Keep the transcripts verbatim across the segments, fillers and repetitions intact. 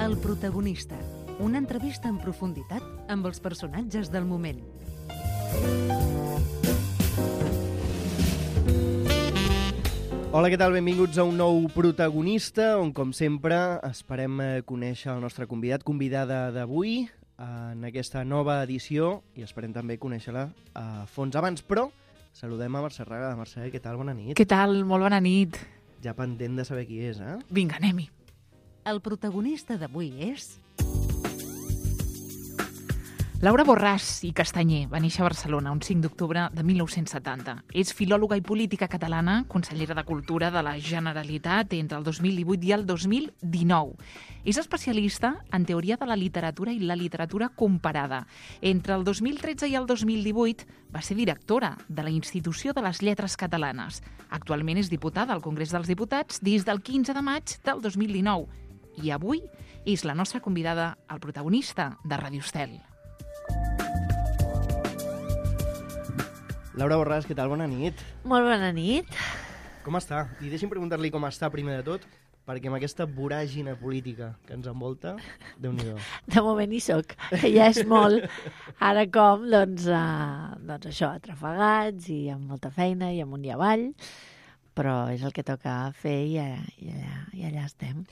El protagonista. Una entrevista en profunditat amb els personatges del moment. Hola, què tal? Benvinguts a un nou protagonista, on, com sempre, esperem conèixer el nostre convidat, convidada d'avui, en aquesta nova edició, i esperem també conèixer-la a fons. Abans, però, saludem a Mercè Raga. Mercè, què tal? Bona nit. Què tal? Molt bona nit. Ja pendent de saber qui és, eh? Vinga, anem-hi. El protagonista d'avui és... Laura Borràs i Castanyer va néixer a Barcelona un cinc d'octubre de mil nou-cents setanta. És filòloga i política catalana, consellera de Cultura de la Generalitat entre el dos mil divuit i el dos mil dinou. És especialista en teoria de la literatura i la literatura comparada. Entre el dos mil tretze i el dos mil divuit va ser directora de la Institució de les Lletres Catalanes. Actualment és diputada al Congrés dels Diputats des del quinze de maig del dos mil dinou. I avui és la nostra convidada, el protagonista de Radio Estel. Laura Borràs, què tal? Bona nit. Molt bona nit. Com està? I deixi'm preguntar-li com està primer de tot, perquè amb aquesta voràgina política que ens envolta, Déu-n'hi-do. De moment hi soc, que ja és molt. Ara com, doncs, uh, doncs això, atrafegats i amb molta feina i amunt i avall, però és el que toca fer i, i, allà, i allà estem.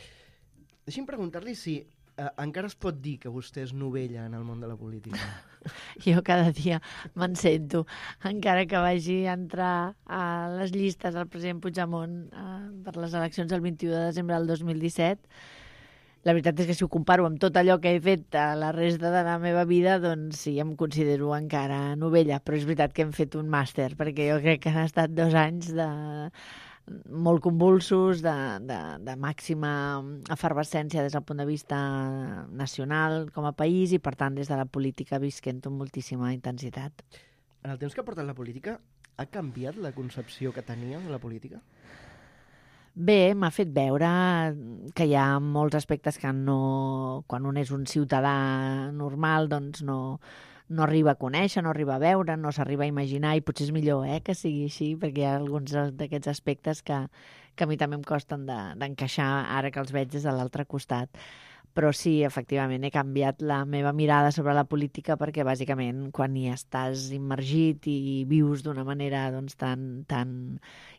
Deixi'm preguntar-li si eh, encara es pot dir que vostè és novella en el món de la política. Jo cada dia me'n sento, encara que vagi a entrar a les llistes al president Puigdemont eh, per les eleccions del vint-i-u de desembre del dos mil disset. La veritat és que si ho comparo amb tot allò que he fet a la resta de la meva vida, doncs sí, em considero encara novella, però és veritat que hem fet un màster, perquè jo crec que han estat dos anys de... molt convulsos, de, de, de màxima efervescència des del punt de vista nacional com a país i, per tant, des de la política visquent amb moltíssima intensitat. En el temps que ha portat la política, ha canviat la concepció que tenia de la política? Bé, m'ha fet veure que hi ha molts aspectes que no, quan un és un ciutadà normal, doncs no... no arriba a conèixer, no arriba a veure, no s'arriba a imaginar, i potser és millor eh, que sigui així, perquè hi ha alguns d'aquests aspectes que, que a mi també em costen de, d'encaixar ara que els veig des de l'altre costat. Però sí, efectivament, he canviat la meva mirada sobre la política perquè, bàsicament, quan hi estàs immergit i vius d'una manera doncs, tan, tan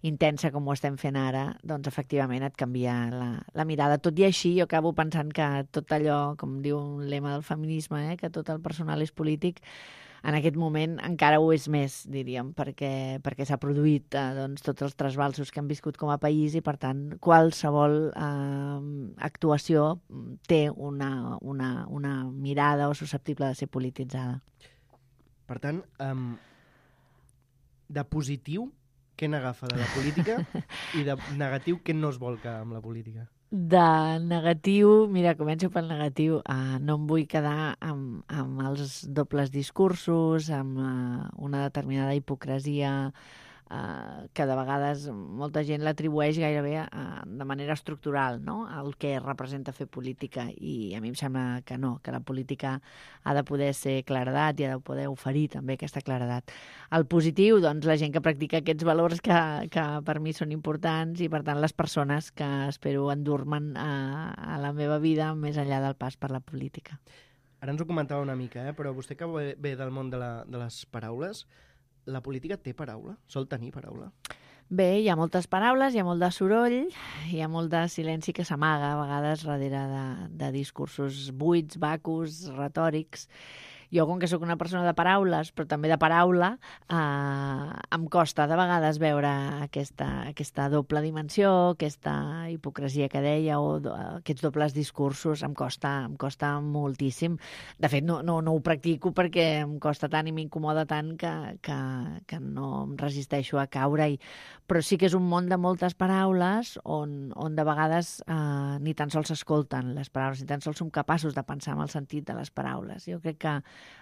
intensa com ho estem fent ara, doncs, efectivament, et canvia la, la mirada. Tot i així, jo acabo pensant que tot allò, com diu un lema del feminisme, eh, que tot el personal és polític, en aquest moment encara ho és més, diríem, perquè, perquè s'ha produït eh, doncs, tots els trasbalsos que hem viscut com a país i, per tant, qualsevol eh, actuació té una, una, una mirada o susceptible de ser polititzada. Per tant, um, de positiu, què n'agafa de la política i de negatiu, què no es vol que amb la política? De negatiu, mira, començo pel negatiu. Uh, no em vull quedar amb, amb els dobles discursos, amb uh, una determinada hipocresia uh, que de vegades molta gent l'atribueix gairebé uh, de manera estructural, no?, el que representa fer política, i a mi em sembla que no, que la política ha de poder ser claredat i ha de poder oferir també aquesta claredat. El positiu, doncs, la gent que practica aquests valors que, que per mi són importants, i per tant les persones que espero endur-me'n a, a la meva vida més enllà del pas per la política. Ara ens ho comentava una mica, eh? Però vostè que ve del món de, la, de les paraules, la política té paraula? Sol tenir paraula? Bé, hi ha moltes paraules, hi ha molt de soroll, hi ha molt de silenci que s'amaga a vegades darrere de, de discursos buits, vacus, retòrics. Jo, com que sóc una persona de paraules, però també de paraula, eh, em costa de vegades veure aquesta, aquesta doble dimensió, aquesta hipocresia que deia, o do, aquests dobles discursos, em costa, em costa moltíssim. De fet, no, no, no ho practico perquè em costa tant i m'incomoda tant que, que, que no em resisteixo a caure-hi. Però sí que és un món de moltes paraules on, on de vegades eh, ni tan sols s'escolten les paraules, ni tan sols som capaços de pensar en el sentit de les paraules. Jo crec que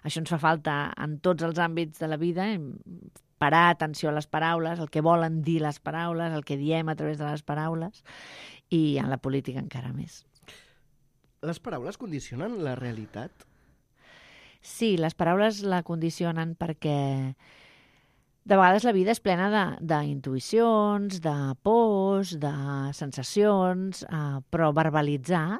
això ens fa falta en tots els àmbits de la vida, parar atenció a les paraules, el que volen dir les paraules, el que diem a través de les paraules, i en la política encara més. Les paraules condicionen la realitat? Sí, les paraules la condicionen perquè de vegades la vida és plena d'intuïcions, de, de pors, de sensacions, eh, però verbalitzar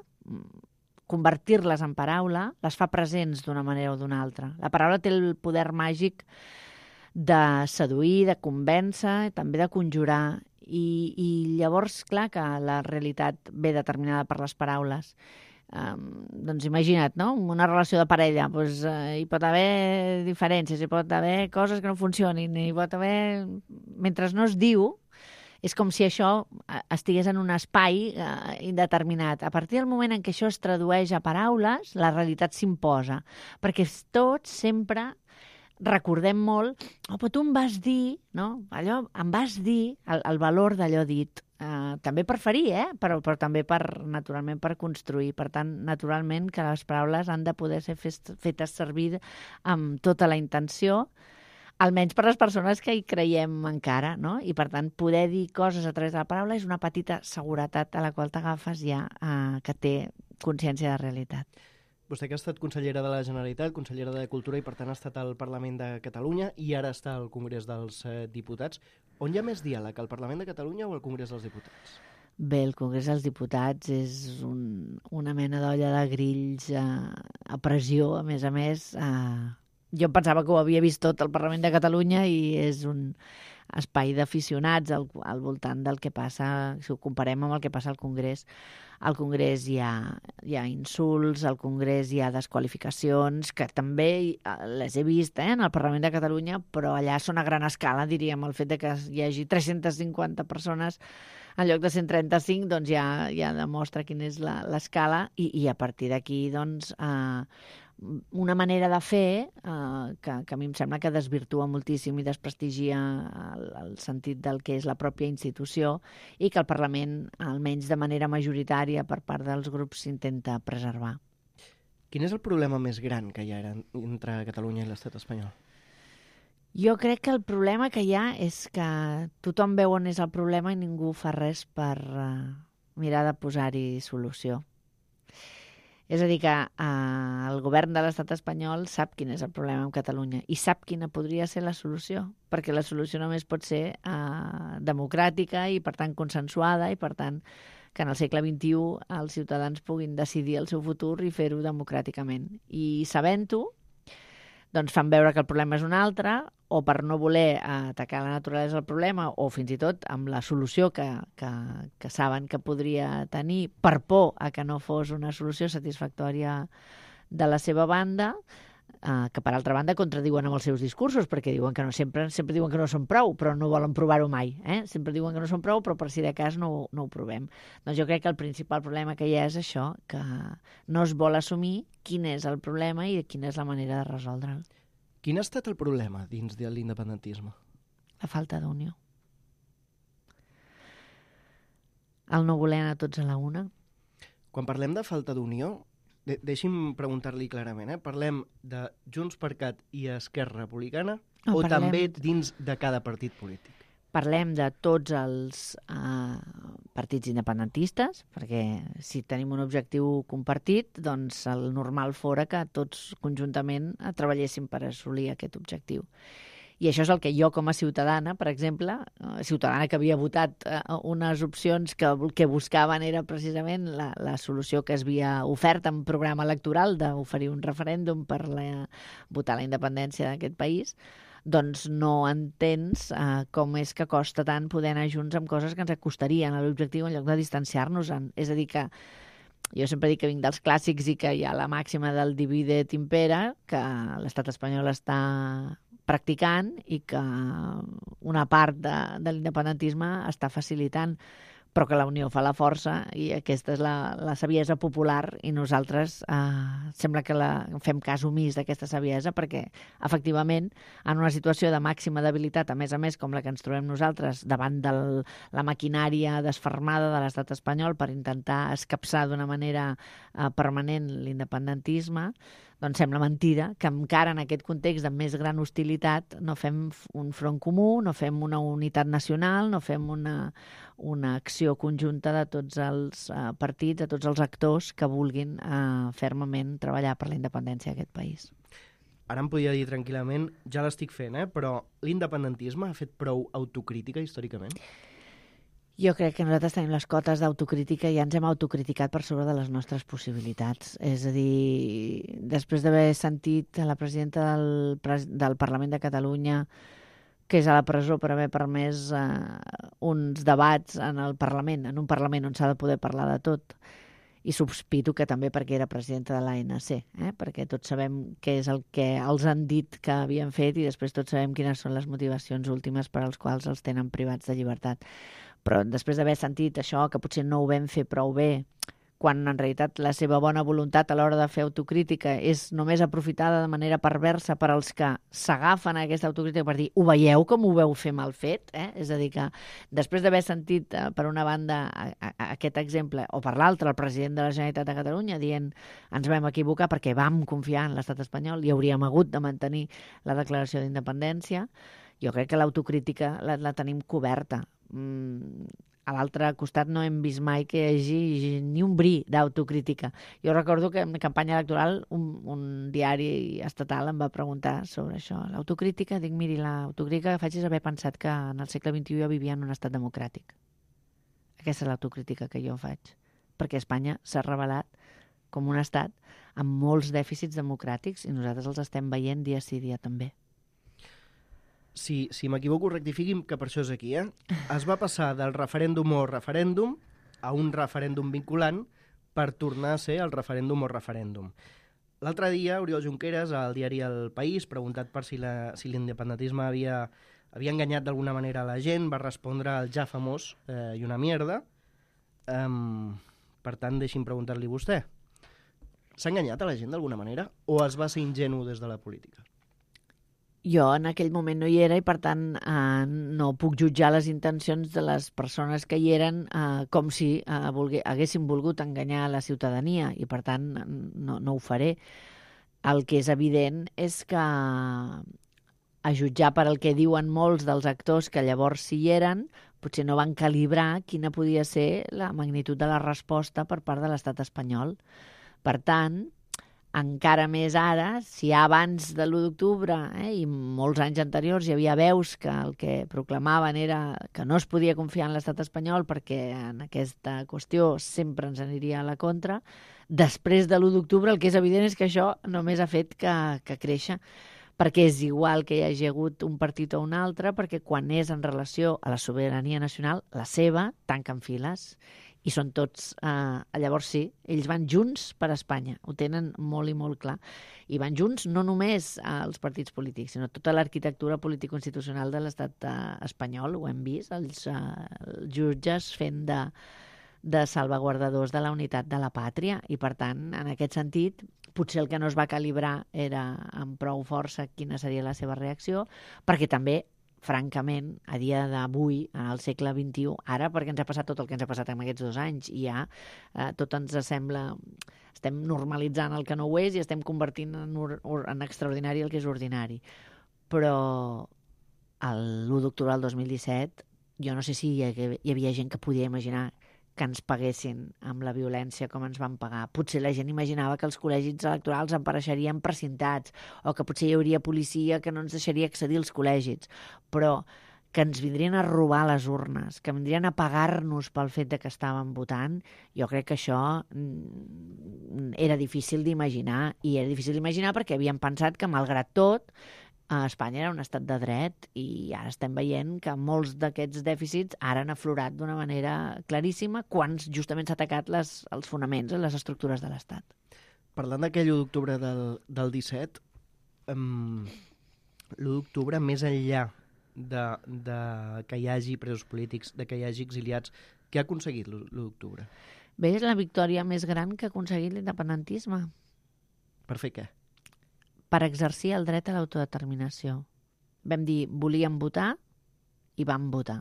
convertir-les en paraula, les fa presents d'una manera o d'una altra. La paraula té el poder màgic de seduir, de convèncer, també de conjurar. I, i llavors, clar, que la realitat ve determinada per les paraules. Um, doncs imagina't, no? Una relació de parella, doncs, uh, hi pot haver diferències, hi pot haver coses que no funcionin, hi pot haver... Mentre no es diu, és com si això estigués en un espai eh, indeterminat. A partir del moment en què això es tradueix a paraules, la realitat s'imposa. Perquè tots sempre recordem molt, oh, però tu em vas dir, no? Allò, em vas dir el, el valor d'allò dit. Eh, també per ferir, eh? però, però també per, naturalment per construir. Per tant, naturalment que les paraules han de poder ser fetes servir amb tota la intenció, almenys per les persones que hi creiem encara, no? I, per tant, poder dir coses a través de la paraula és una petita seguretat a la qual t'agafes ja eh, que té consciència de realitat. Vostè que ha estat consellera de la Generalitat, consellera de Cultura i, per tant, ha estat al Parlament de Catalunya i ara està al Congrés dels eh, Diputats. On hi ha més diàleg, al Parlament de Catalunya o al Congrés dels Diputats? Bé, el Congrés dels Diputats és un, una mena d'olla de grills eh, a pressió, a més a més. Eh, jo pensava que ho havia vist tot al Parlament de Catalunya i és un espai d'aficionats al, al voltant del que passa, si ho comparem amb el que passa al Congrés. Al Congrés hi ha, hi ha insults, al Congrés hi ha desqualificacions, que també les he vist eh, en el Parlament de Catalunya, però allà són a gran escala, diríem, el fet de que hi hagi tres-centes cinquanta persones en lloc de cent trenta-cinc, doncs ja, ja demostra quina és la, l'escala i, i a partir d'aquí, doncs, eh, una manera de fer eh, que, que a mi em sembla que desvirtua moltíssim i desprestigia el, el sentit del que és la pròpia institució i que el Parlament, almenys de manera majoritària per part dels grups, s'intenta preservar. Quin és el problema més gran que hi ha entre Catalunya i l'estat espanyol? Jo crec que el problema que hi ha és que tothom veu on és el problema i ningú fa res per uh, mirar de posar-hi solució. És a dir, que uh, el govern de l'estat espanyol sap quin és el problema amb Catalunya i sap quina podria ser la solució, perquè la solució només pot ser uh, democràtica i, per tant, consensuada i, per tant, que en el segle vint-i-u els ciutadans puguin decidir el seu futur i fer-ho democràticament. I sabent-ho, doncs fan veure que el problema és un altre, o per no voler atacar la naturalesa del problema, o fins i tot amb la solució que, que, que saben que podria tenir, per por a que no fos una solució satisfactòria de la seva banda, eh, que per altra banda contradiuen amb els seus discursos, perquè diuen que no, sempre, sempre diuen que no són prou, però no volen provar-ho mai. Eh? Sempre diuen que no són prou, però per si de cas no, no ho provem. Doncs jo crec que el principal problema que hi ha és això, que no es vol assumir quin és el problema i quina és la manera de resoldre'l. Quin ha estat el problema dins de l'independentisme? La falta d'unió. El no voler anar tots a la una. Quan parlem de falta d'unió, de deixi'm preguntar-li clarament, eh? Parlem de Junts per Cat i Esquerra Republicana no, o parlem... també dins de cada partit polític? Parlem de tots els eh, partits independentistes, perquè si tenim un objectiu compartit, doncs el normal fora que tots conjuntament treballéssim per assolir aquest objectiu. I això és el que jo, com a ciutadana, per exemple, eh, ciutadana que havia votat eh, unes opcions que el que buscaven era precisament la, la solució que es havia ofert en programa electoral d'oferir un referèndum per la, votar la independència d'aquest país, doncs no entens eh, com és que costa tant poder anar junts amb coses que ens acostarien a l'objectiu en lloc de distanciar-nos-en. És a dir, que jo sempre dic que vinc dels clàssics i que hi ha la màxima del divide et impera, que l'estat espanyol està practicant i que una part de, de l'independentisme està facilitant, però que la unió fa la força i aquesta és la, la saviesa popular i nosaltres eh, sembla que la, fem cas omís d'aquesta saviesa perquè, efectivament, en una situació de màxima debilitat, a més a més, com la que ens trobem nosaltres davant de la maquinària desfermada de l'estat espanyol per intentar escapçar d'una manera eh, permanent l'independentisme, doncs sembla mentida que encara en aquest context de més gran hostilitat no fem un front comú, no fem una unitat nacional, no fem una, una acció conjunta de tots els uh, partits, de tots els actors que vulguin uh, fermament treballar per la independència d'aquest país. Ara em podia dir tranquil·lament, ja l'estic fent, eh? Però l'independentisme ha fet prou autocrítica històricament? Jo crec que nosaltres tenim les cotes d'autocrítica i ja ens hem autocriticat per sobre de les nostres possibilitats. És a dir, després d'haver sentit a la presidenta del, del Parlament de Catalunya que és a la presó per haver permès eh, uns debats en el Parlament, en un Parlament on s'ha de poder parlar de tot, i sospito que també perquè era presidenta de l'A N C, eh? Perquè tots sabem què és el que els han dit que havien fet i després tots sabem quines són les motivacions últimes per als quals els tenen privats de llibertat. Però després d'haver sentit això, que potser no ho vam fer prou bé, quan en realitat la seva bona voluntat a l'hora de fer autocrítica és només aprofitada de manera perversa per als que s'agafen a aquesta autocrítica per dir, ho veieu com ho veu fer mal fet? Eh? És a dir, que després d'haver sentit eh, per una banda a, a, a aquest exemple, o per l'altra el president de la Generalitat de Catalunya dient ens vam equivocar perquè vam confiar en l'estat espanyol i hauríem hagut de mantenir la declaració d'independència, jo crec que l'autocrítica la, la tenim coberta. Mm, a l'altre costat no hem vist mai que hi hagi ni un bri d'autocrítica. Jo recordo que en campanya electoral un, un diari estatal em va preguntar sobre això. L'autocrítica, dic, miri, l'autocrítica que faig és haver pensat que en el segle vint-i-u jo vivia en un estat democràtic. Aquesta és l'autocrítica que jo faig. Perquè Espanya s'ha revelat com un estat amb molts dèficits democràtics i nosaltres els estem veient dia sí dia també. Si, si m'equivoco, rectifiqui'm, que per això és aquí, eh? Es va passar del referèndum o referèndum a un referèndum vinculant per tornar a ser el referèndum o referèndum. L'altre dia, Oriol Junqueras, al diari El País, preguntat per si, la, si l'independentisme havia, havia enganyat d'alguna manera a la gent, va respondre al ja famós eh, i una mierda. Um, per tant, deixi'm preguntar-li a vostè. S'ha enganyat a la gent d'alguna manera o es va ser ingenu des de la política? Jo en aquell moment no hi era i, per tant, eh, no puc jutjar les intencions de les persones que hi eren eh, com si eh, volgué, haguessin volgut enganyar la ciutadania i, per tant, no, no ho faré. El que és evident és que, a jutjar per el que diuen molts dels actors que llavors hi eren, potser no van calibrar quina podia ser la magnitud de la resposta per part de l'estat espanyol. Per tant, encara més ara, si abans de l'u d'octubre eh, i molts anys anteriors hi havia veus que el que proclamaven era que no es podia confiar en l'estat espanyol perquè en aquesta qüestió sempre ens aniria a la contra, després de l'u d'octubre el que és evident és que això només ha fet que, que créixer, perquè és igual que hi hagi hagut un partit o un altre, perquè quan és en relació a la sobirania nacional, la seva, tanquen files. I són tots, eh, llavors sí, ells van junts per Espanya, ho tenen molt i molt clar. I van junts no només els partits polítics, sinó tota l'arquitectura político-institucional de l'estat eh, espanyol, ho hem vist, els, eh, els jutges fent de, de salvaguardadors de la unitat de la pàtria, i per tant, en aquest sentit, potser el que no es va calibrar era amb prou força quina seria la seva reacció, perquè també francament, a dia d'avui, al segle vint-i-u, ara perquè ens ha passat tot el que ens ha passat en aquests dos anys, i ja eh, tot ens sembla, estem normalitzant el que no ho és i estem convertint en, or, en extraordinari el que és ordinari. Però l'u d'octubre del dos mil disset, jo no sé si hi havia, hi havia gent que podia imaginar que ens paguessin amb la violència com ens van pagar. Potser la gent imaginava que els col·legis electorals apareixerien precintats o que potser hi hauria policia que no ens deixaria accedir als col·legis, però que ens vindrien a robar les urnes, que vindrien a pagar-nos pel fet de que estàvem votant, jo crec que això era difícil d'imaginar, i era difícil d'imaginar perquè havíem pensat que, malgrat tot, Espanya era un estat de dret, i ara estem veient que molts d'aquests dèficits ara han aflorat d'una manera claríssima quan justament s'ha atacat les, els fonaments, les estructures de l'Estat. Parlant d'aquell u d'octubre del, del disset, um, l'u d'octubre, més enllà de, de que hi hagi presos polítics, de que hi hagi exiliats, què ha aconseguit l'u d'octubre? Bé, és la victòria més gran que ha aconseguit l'independentisme. Per fer què? Per exercir el dret a l'autodeterminació. Vam dir, volíem votar, i vam votar.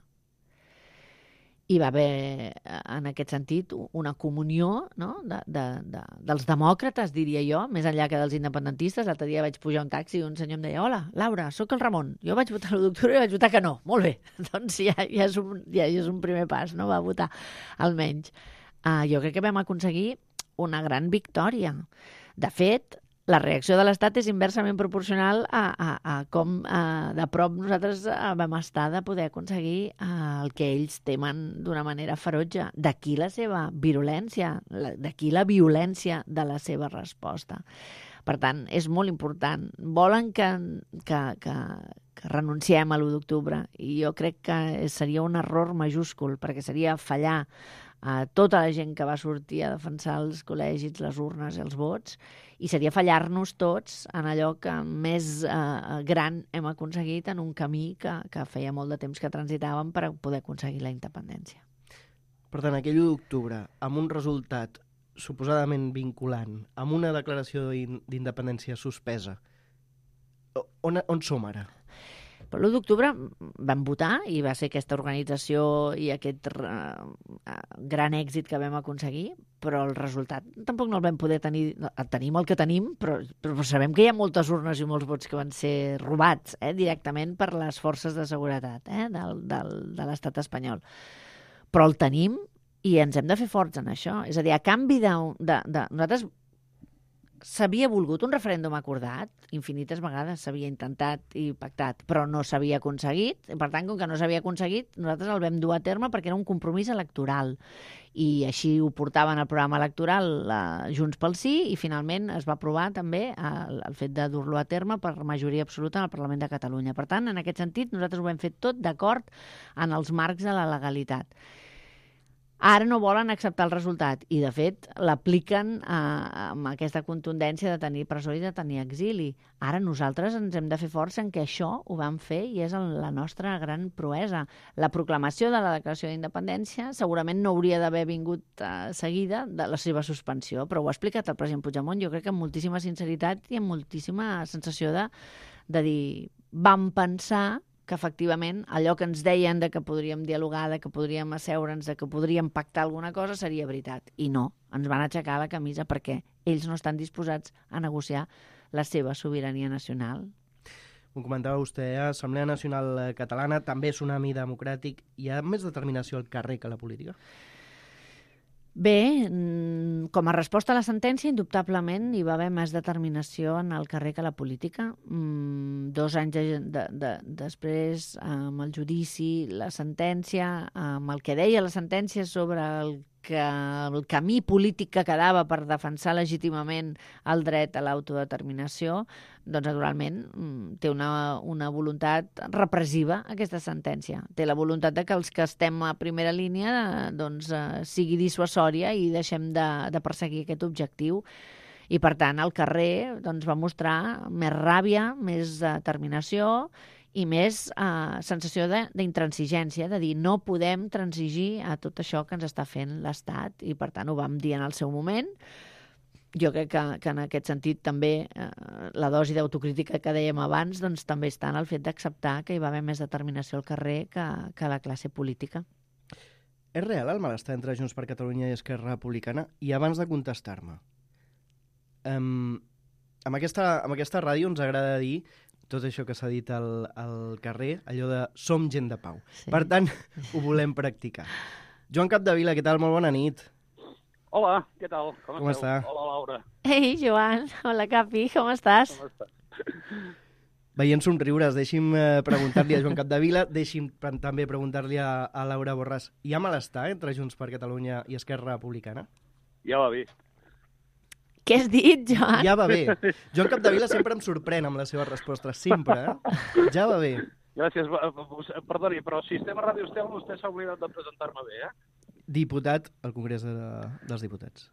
Hi va haver, en aquest sentit, una comunió, no? de, de, de, dels demòcrates, diria jo, més enllà que dels independentistes. L'altre dia vaig pujar a un taxi i un senyor em deia: hola, Laura, sóc el Ramon. Jo vaig votar l'u d'octubre i vaig votar que no. Molt bé. Doncs ja, ja, és un, ja és un primer pas, no? Va votar, almenys. Uh, jo crec que vam aconseguir una gran victòria. De fet, la reacció de l'Estat és inversament proporcional a, a, a com a, de prop nosaltres vam estar de poder aconseguir el que ells temen d'una manera ferotge. D'aquí la seva virulència, d'aquí la violència de la seva resposta. Per tant, és molt important. Volen que, que, que, que renunciem a l'u d'octubre i jo crec que seria un error majúscul, perquè seria fallar a tota la gent que va sortir a defensar els col·legis, les urnes i els vots, i seria fallar-nos tots en allò que més eh, gran hem aconseguit en un camí que, que feia molt de temps que transitàvem per poder aconseguir la independència. Per tant, aquell u d'octubre, amb un resultat suposadament vinculant, amb una declaració d'independència suspesa, on, on som ara? Per l'u d'octubre vam votar i va ser aquesta organització i aquest uh, gran èxit que vam aconseguir, però el resultat tampoc no el vam poder tenir. Tenim el que tenim, però, però sabem que hi ha moltes urnes i molts vots que van ser robats eh, directament per les forces de seguretat eh, del, del, de l'estat espanyol. Però el tenim i ens hem de fer forts en això. És a dir, a canvi de... de, de nosaltres s'havia volgut un referèndum acordat, infinites vegades s'havia intentat i pactat, però no s'havia aconseguit. Per tant, com que no s'havia aconseguit, nosaltres el vam dur a terme perquè era un compromís electoral. I així ho portaven al programa electoral eh, Junts pel Sí i finalment es va aprovar també el, el fet de dur-lo a terme per majoria absoluta en el Parlament de Catalunya. Per tant, en aquest sentit, nosaltres ho hem fet tot d'acord en els marcs de la legalitat. Ara no volen acceptar el resultat i, de fet, l'apliquen eh, amb aquesta contundència de tenir presó i de tenir exili. Ara nosaltres ens hem de fer força en què això ho vam fer i és la nostra gran proesa. La proclamació de la declaració d'independència segurament no hauria d'haver vingut eh, seguida de la seva suspensió, però ho ha explicat el president Puigdemont, jo crec que amb moltíssima sinceritat i amb moltíssima sensació de, de dir vam pensar que efectivament allò que ens deien de que podríem dialogar, de que podríem asseure'ns, de que podríem pactar alguna cosa seria veritat. I no, ens van aixecar la camisa perquè ells no estan disposats a negociar la seva sobirania nacional. Ho comentava vostè, eh? Assemblea Nacional Catalana, també tsunami democràtic. Hi ha més determinació al carrer que a la política? Bé, com a resposta a la sentència, indubtablement hi va haver més determinació en el carrer que a la política. Mm, dos anys de, de, de, després, amb el judici, la sentència, amb el que deia la sentència sobre el que el camí polític que quedava per defensar legítimament el dret a l'autodeterminació, doncs naturalment té una, una voluntat repressiva aquesta sentència. Té la voluntat de que els que estem a primera línia doncs, eh, sigui dissuasòria i deixem de, de perseguir aquest objectiu. I per tant el carrer doncs, va mostrar més ràbia, més determinació i més eh, sensació d'intransigència, de, de dir no podem transigir a tot això que ens està fent l'Estat i per tant ho vam dir en el seu moment. Jo crec que, que en aquest sentit també eh, la dosi d'autocrítica que dèiem abans doncs, també està en el fet d'acceptar que hi va haver més determinació al carrer que, que la classe política. És real el malestar entre Junts per Catalunya i Esquerra Republicana? I abans de contestar-me, um, amb, aquesta, amb aquesta ràdio ens agrada dir tot això que s'ha dit al, al carrer, allò de som gent de pau. Sí. Per tant, ho volem practicar. Joan Capdevila, què tal? Molt bona nit. Hola, què tal? Com, com està? Hola, Laura. Ei, Joan. Hola, Capi. Com estàs? Com estàs? Veient somriures, deixi'm eh, preguntar-li a Joan Capdevila, deixi'm també preguntar-li a, a Laura Borràs. Hi ha malestar entre Junts per Catalunya i Esquerra Republicana? Ja va bé. Què has dit, Joan? Ja va bé. Joan Capdevila sempre em sorprèn amb les seves respostes, sempre, eh? Ja va bé. Gràcies. Perdoni, però si estem a Ràdio Estel, vostè s'ha oblidat de presentar-me bé, eh? Diputat al Congrés de, dels Diputats.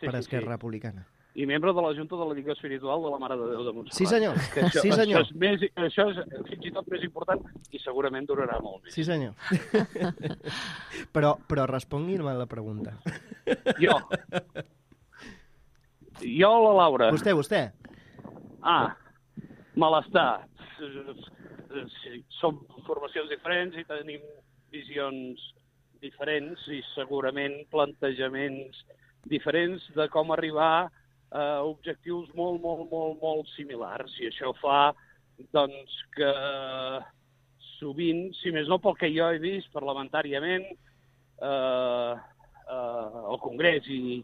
Sí, per sí, Esquerra sí. Republicana. I membre de la Junta de la Lliga Espiritual de la Mare de Déu de Montserrat. Sí, senyor. Això, Sí, senyor. Això és, més, això és fins i tot més important i segurament durarà molt més. Sí, senyor. però, però respongui'm a la pregunta. Jo. Jo o la Laura? Vostè, vostè. Ah, malestar. Som formacions diferents i tenim visions diferents i segurament plantejaments diferents de com arribar a objectius molt, molt, molt, molt similars. I això fa, doncs, que sovint, si més no pel que jo he vist parlamentàriament, eh, eh, al Congrés i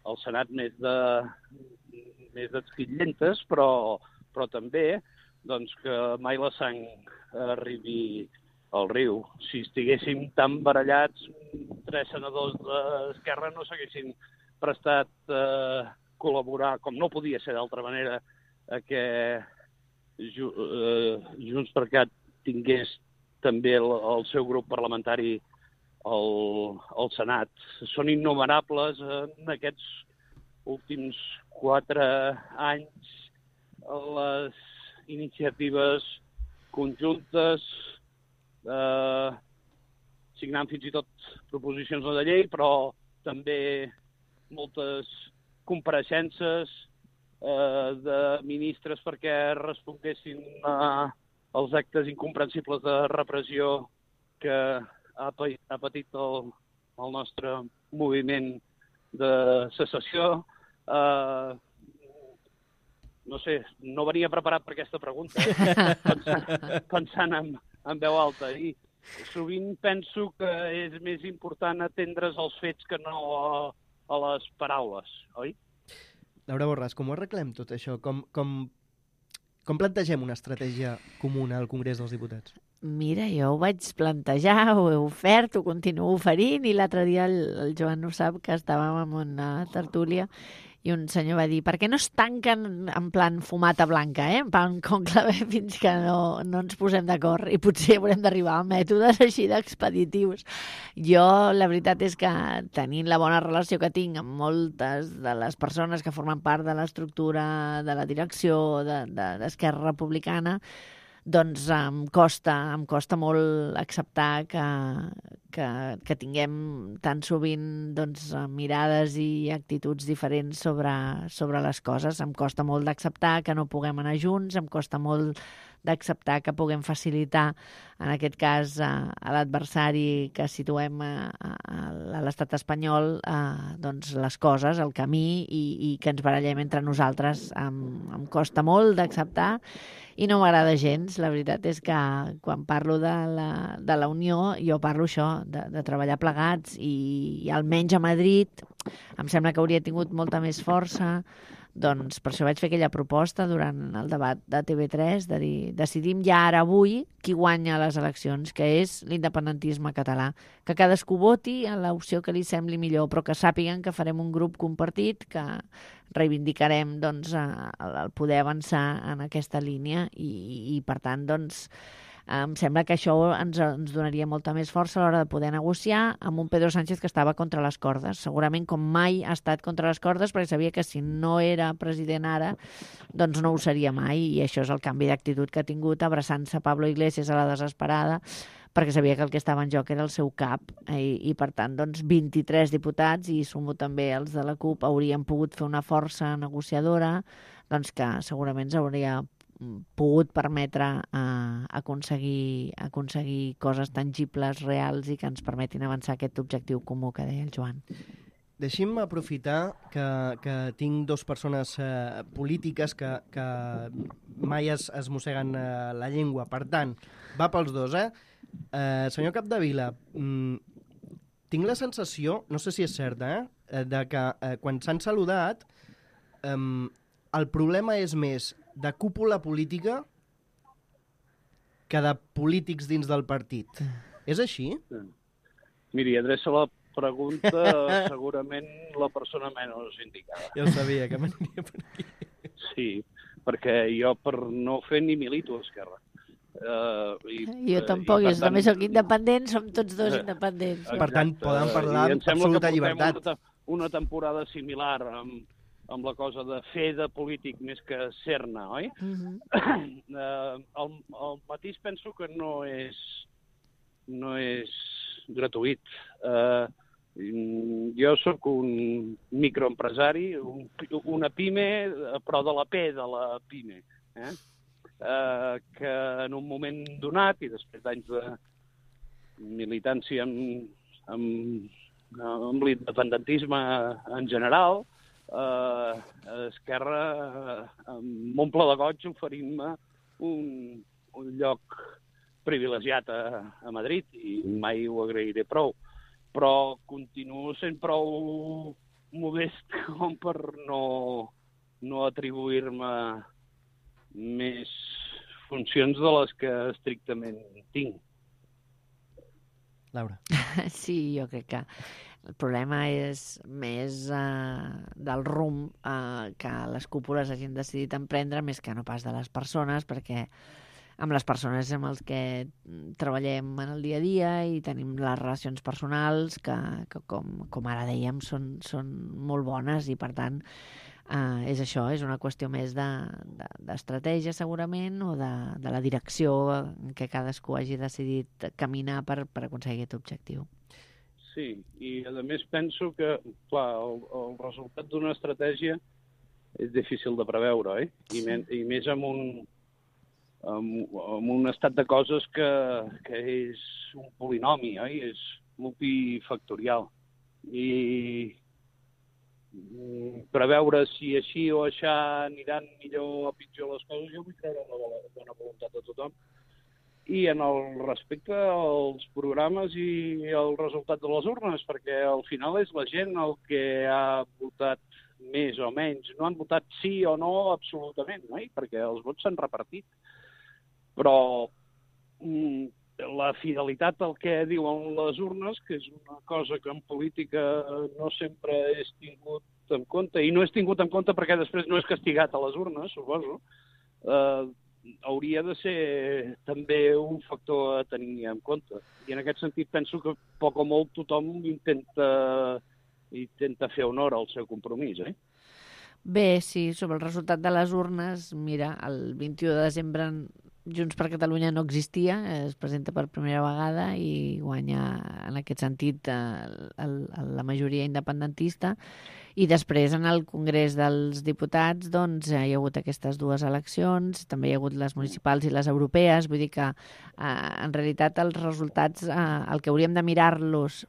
al Senat més de més esquitllentes, però, però també doncs, que mai la sang arribi al riu. Si estiguéssim tan barallats, tres senadors d'Esquerra no s'haguessin prestat a col·laborar, com no podia ser d'altra manera, a que Junts per Cat tingués també el, el seu grup parlamentari al, al Senat. Són innumerables en aquests últims quatre anys les iniciatives conjuntes, eh, signant fins i tot proposicions de llei, però també moltes compareixences eh, de ministres perquè responguessin a els actes incomprensibles de repressió que ha, ha patit el, el nostre moviment de secessió. Eh, no sé, no venia preparat per aquesta pregunta, eh? pensant, pensant en, en veu alta. I sovint penso que és més important atendre's als fets que no a, a les paraules, oi? Laura Borràs, com ho arreglem tot això? Com, com, com plantegem una estratègia comuna al Congrés dels Diputats? Mira, jo ho vaig plantejar, ho he ofert, ho continuo oferint, i l'altre dia el, el Joan ho sap, que estàvem en una tertúlia i un senyor va dir, per què no es tanquen en plan fumata blanca, eh? en plan conclave, fins que no, no ens posem d'acord, i potser haurem d'arribar a mètodes així d'expeditius. Jo, la veritat és que tenint la bona relació que tinc amb moltes de les persones que formen part de l'estructura de la direcció d'Esquerra de, Republicana, doncs em costa, em costa molt acceptar que, que, que tinguem tan sovint doncs, mirades i actituds diferents sobre, sobre les coses. Em costa molt d'acceptar que no puguem anar junts, em costa molt d'acceptar que puguem facilitar, en aquest cas, a, a l'adversari que situem a, a, a l'estat espanyol, a, doncs les coses, el camí, i, i que ens barallem entre nosaltres. Em, em costa molt d'acceptar i no m'agrada gens. La veritat és que quan parlo de la, de la unió, jo parlo això, de, de treballar plegats, i, i almenys a Madrid em sembla que hauria tingut molta més força. Doncs per això vaig fer aquella proposta durant el debat de T V tres, de dir, decidim ja ara avui qui guanya les eleccions, que és l'independentisme català. Que cadascú voti a l'opció que li sembli millor, però que sàpiguen que farem un grup compartit, que reivindicarem doncs, el poder avançar en aquesta línia, i, i per tant, doncs, em sembla que això ens, ens donaria molta més força a l'hora de poder negociar amb un Pedro Sánchez que estava contra les cordes. Segurament com mai ha estat contra les cordes, perquè sabia que si no era president ara, doncs no ho seria mai, i això és el canvi d'actitud que ha tingut, abraçant-se Pablo Iglesias a la desesperada, perquè sabia que el que estava en joc era el seu cap, i, i per tant, doncs, vint-i-tres diputats, i sumo també els de la CUP, haurien pogut fer una força negociadora, doncs que segurament ens hauria pogut permetre uh, aconseguir, aconseguir coses tangibles, reals, i que ens permetin avançar aquest objectiu comú que deia el Joan. Deixi'm aprofitar que, que tinc dues persones eh, polítiques que, que mai es, es mosseguen eh, la llengua. Per tant, va pels dos, eh? eh senyor Capdevila, mm, tinc la sensació, no sé si és certa, eh, de que eh, quan s'han saludat eh, el problema és més de cúpula política que de polítics dins del partit. És així? Miri, adreça la pregunta segurament la persona menys indicada. Ja ho sabia, que m'aniria per aquí. Sí, perquè jo per no fer ni milito a Esquerra. Uh, i, jo tampoc, i, jo també soc independent, som tots dos independents. Exacte. Per tant, poden parlar amb absoluta llibertat. Una, una temporada similar amb, amb la cosa de fer de polític més que ser-ne, oi? Uh-huh. uh, el, el matís penso que no és, no és gratuït. Uh, jo sóc un microempresari, un, una pime, però de la P de la pime, eh? Uh, que en un moment donat, i després d'anys de militància amb, amb, amb l'independentisme en general, uh, Esquerra uh, m'omple de goig oferint-me un, un lloc privilegiat a, a Madrid, i mai ho agrairé prou. Però continuo sent prou modest com per no no atribuir-me més funcions de les que estrictament tinc. Laura. Sí, jo crec que el problema és més uh, del rumb uh, que les cúpules hagin decidit emprendre més que no pas de les persones, perquè amb les persones amb els que treballem en el dia a dia i tenim les relacions personals que, que com, com ara dèiem, són, són molt bones i, per tant, uh, és això, és una qüestió més de, de, d'estratègia, segurament, o de, de la direcció en què cadascú hagi decidit caminar per, per aconseguir aquest objectiu. Sí, i a més penso que, clar, el, el resultat d'una estratègia és difícil de preveure, eh? I, men, i més amb un, amb, amb un estat de coses que, que és un polinomi, oi? És multifactorial. I preveure si així o aixà aniran millor o pitjor les coses, jo vull creure en la bona voluntat de tothom. I en el respecte als programes i el resultat de les urnes, perquè al final és la gent el que ha votat més o menys. No han votat sí o no absolutament, no? Perquè els vots s'han repartit. Però mm, la fidelitat al que diuen les urnes, que és una cosa que en política no sempre és tingut en compte, i no és tingut en compte perquè després no és castigat a les urnes, suposo, eh, hauria de ser també un factor a tenir en compte. I en aquest sentit penso que poc o molt tothom intenta, intenta fer honor al seu compromís, eh? Bé, sí, sobre el resultat de les urnes, mira, el vint-i-u de desembre Junts per Catalunya no existia, es presenta per primera vegada i guanya en aquest sentit el, el, la majoria independentista. I després en el Congrés dels Diputats doncs, hi ha hagut aquestes dues eleccions, també hi ha hagut les municipals i les europees, vull dir que eh, en realitat els resultats, eh, el que hauríem de mirar-los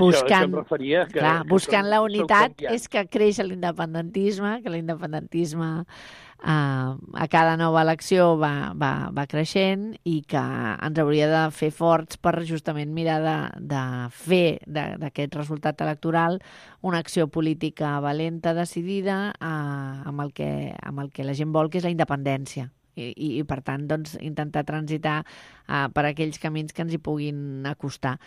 buscant, això, això referia, que, clar, que buscant som, la unitat és que creix l'independentisme, que l'independentisme eh, a cada nova elecció va, va, va creixent i que ens hauria de fer forts per justament mirar de, de fer d'aquest resultat electoral una acció política valenta, decidida, eh, amb, el que, amb el que la gent vol, que és la independència. I, i, i per tant, doncs, intentar transitar uh, per aquells camins que ens hi puguin acostar.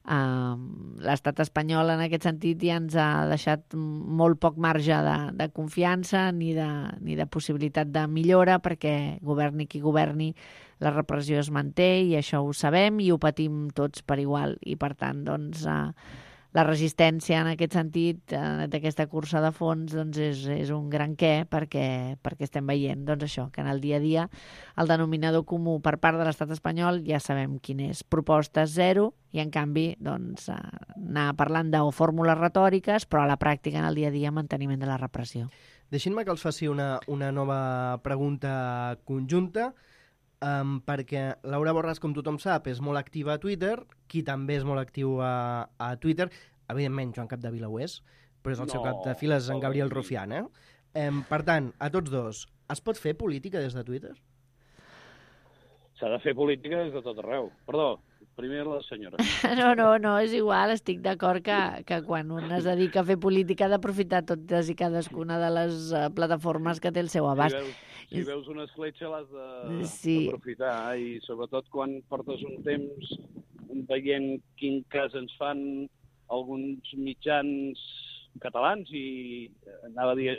Uh, L'estat espanyol, en aquest sentit, ja ens ha deixat molt poc marge de, de confiança ni de, ni de possibilitat de millora, perquè governi qui governi, la repressió es manté i això ho sabem i ho patim tots per igual. I per tant, doncs, uh, la resistència en aquest sentit, eh, d'aquesta cursa de fons, doncs és, és un gran què, perquè, perquè estem veient doncs això, que en el dia a dia el denominador comú per part de l'estat espanyol ja sabem quin és, propostes zero, i en canvi doncs, eh, anar parlant de o fórmules retòriques, però a la pràctica en el dia a dia manteniment de la repressió. Deixin-me que els faci una, una nova pregunta conjunta, um, perquè Laura Borràs, com tothom sap, és molt activa a Twitter, qui també és molt actiu a, a Twitter, evidentment Joan Capdevila ho és, però és el no, seu cap de files en Gabriel Rufián, eh? Um, per tant, a tots dos, es pot fer política des de Twitter? S'ha de fer política des de tot arreu. Perdó, primer la senyora. No, no, no, és igual, estic d'acord que, que quan un es dedica a fer política ha d'aprofitar totes i cadascuna de les uh, plataformes que té el seu abast. Si veus, si veus una escletxa l'has d'aprofitar, sí. I sobretot quan portes un temps veient quin cas ens fan alguns mitjans catalans i anava a dir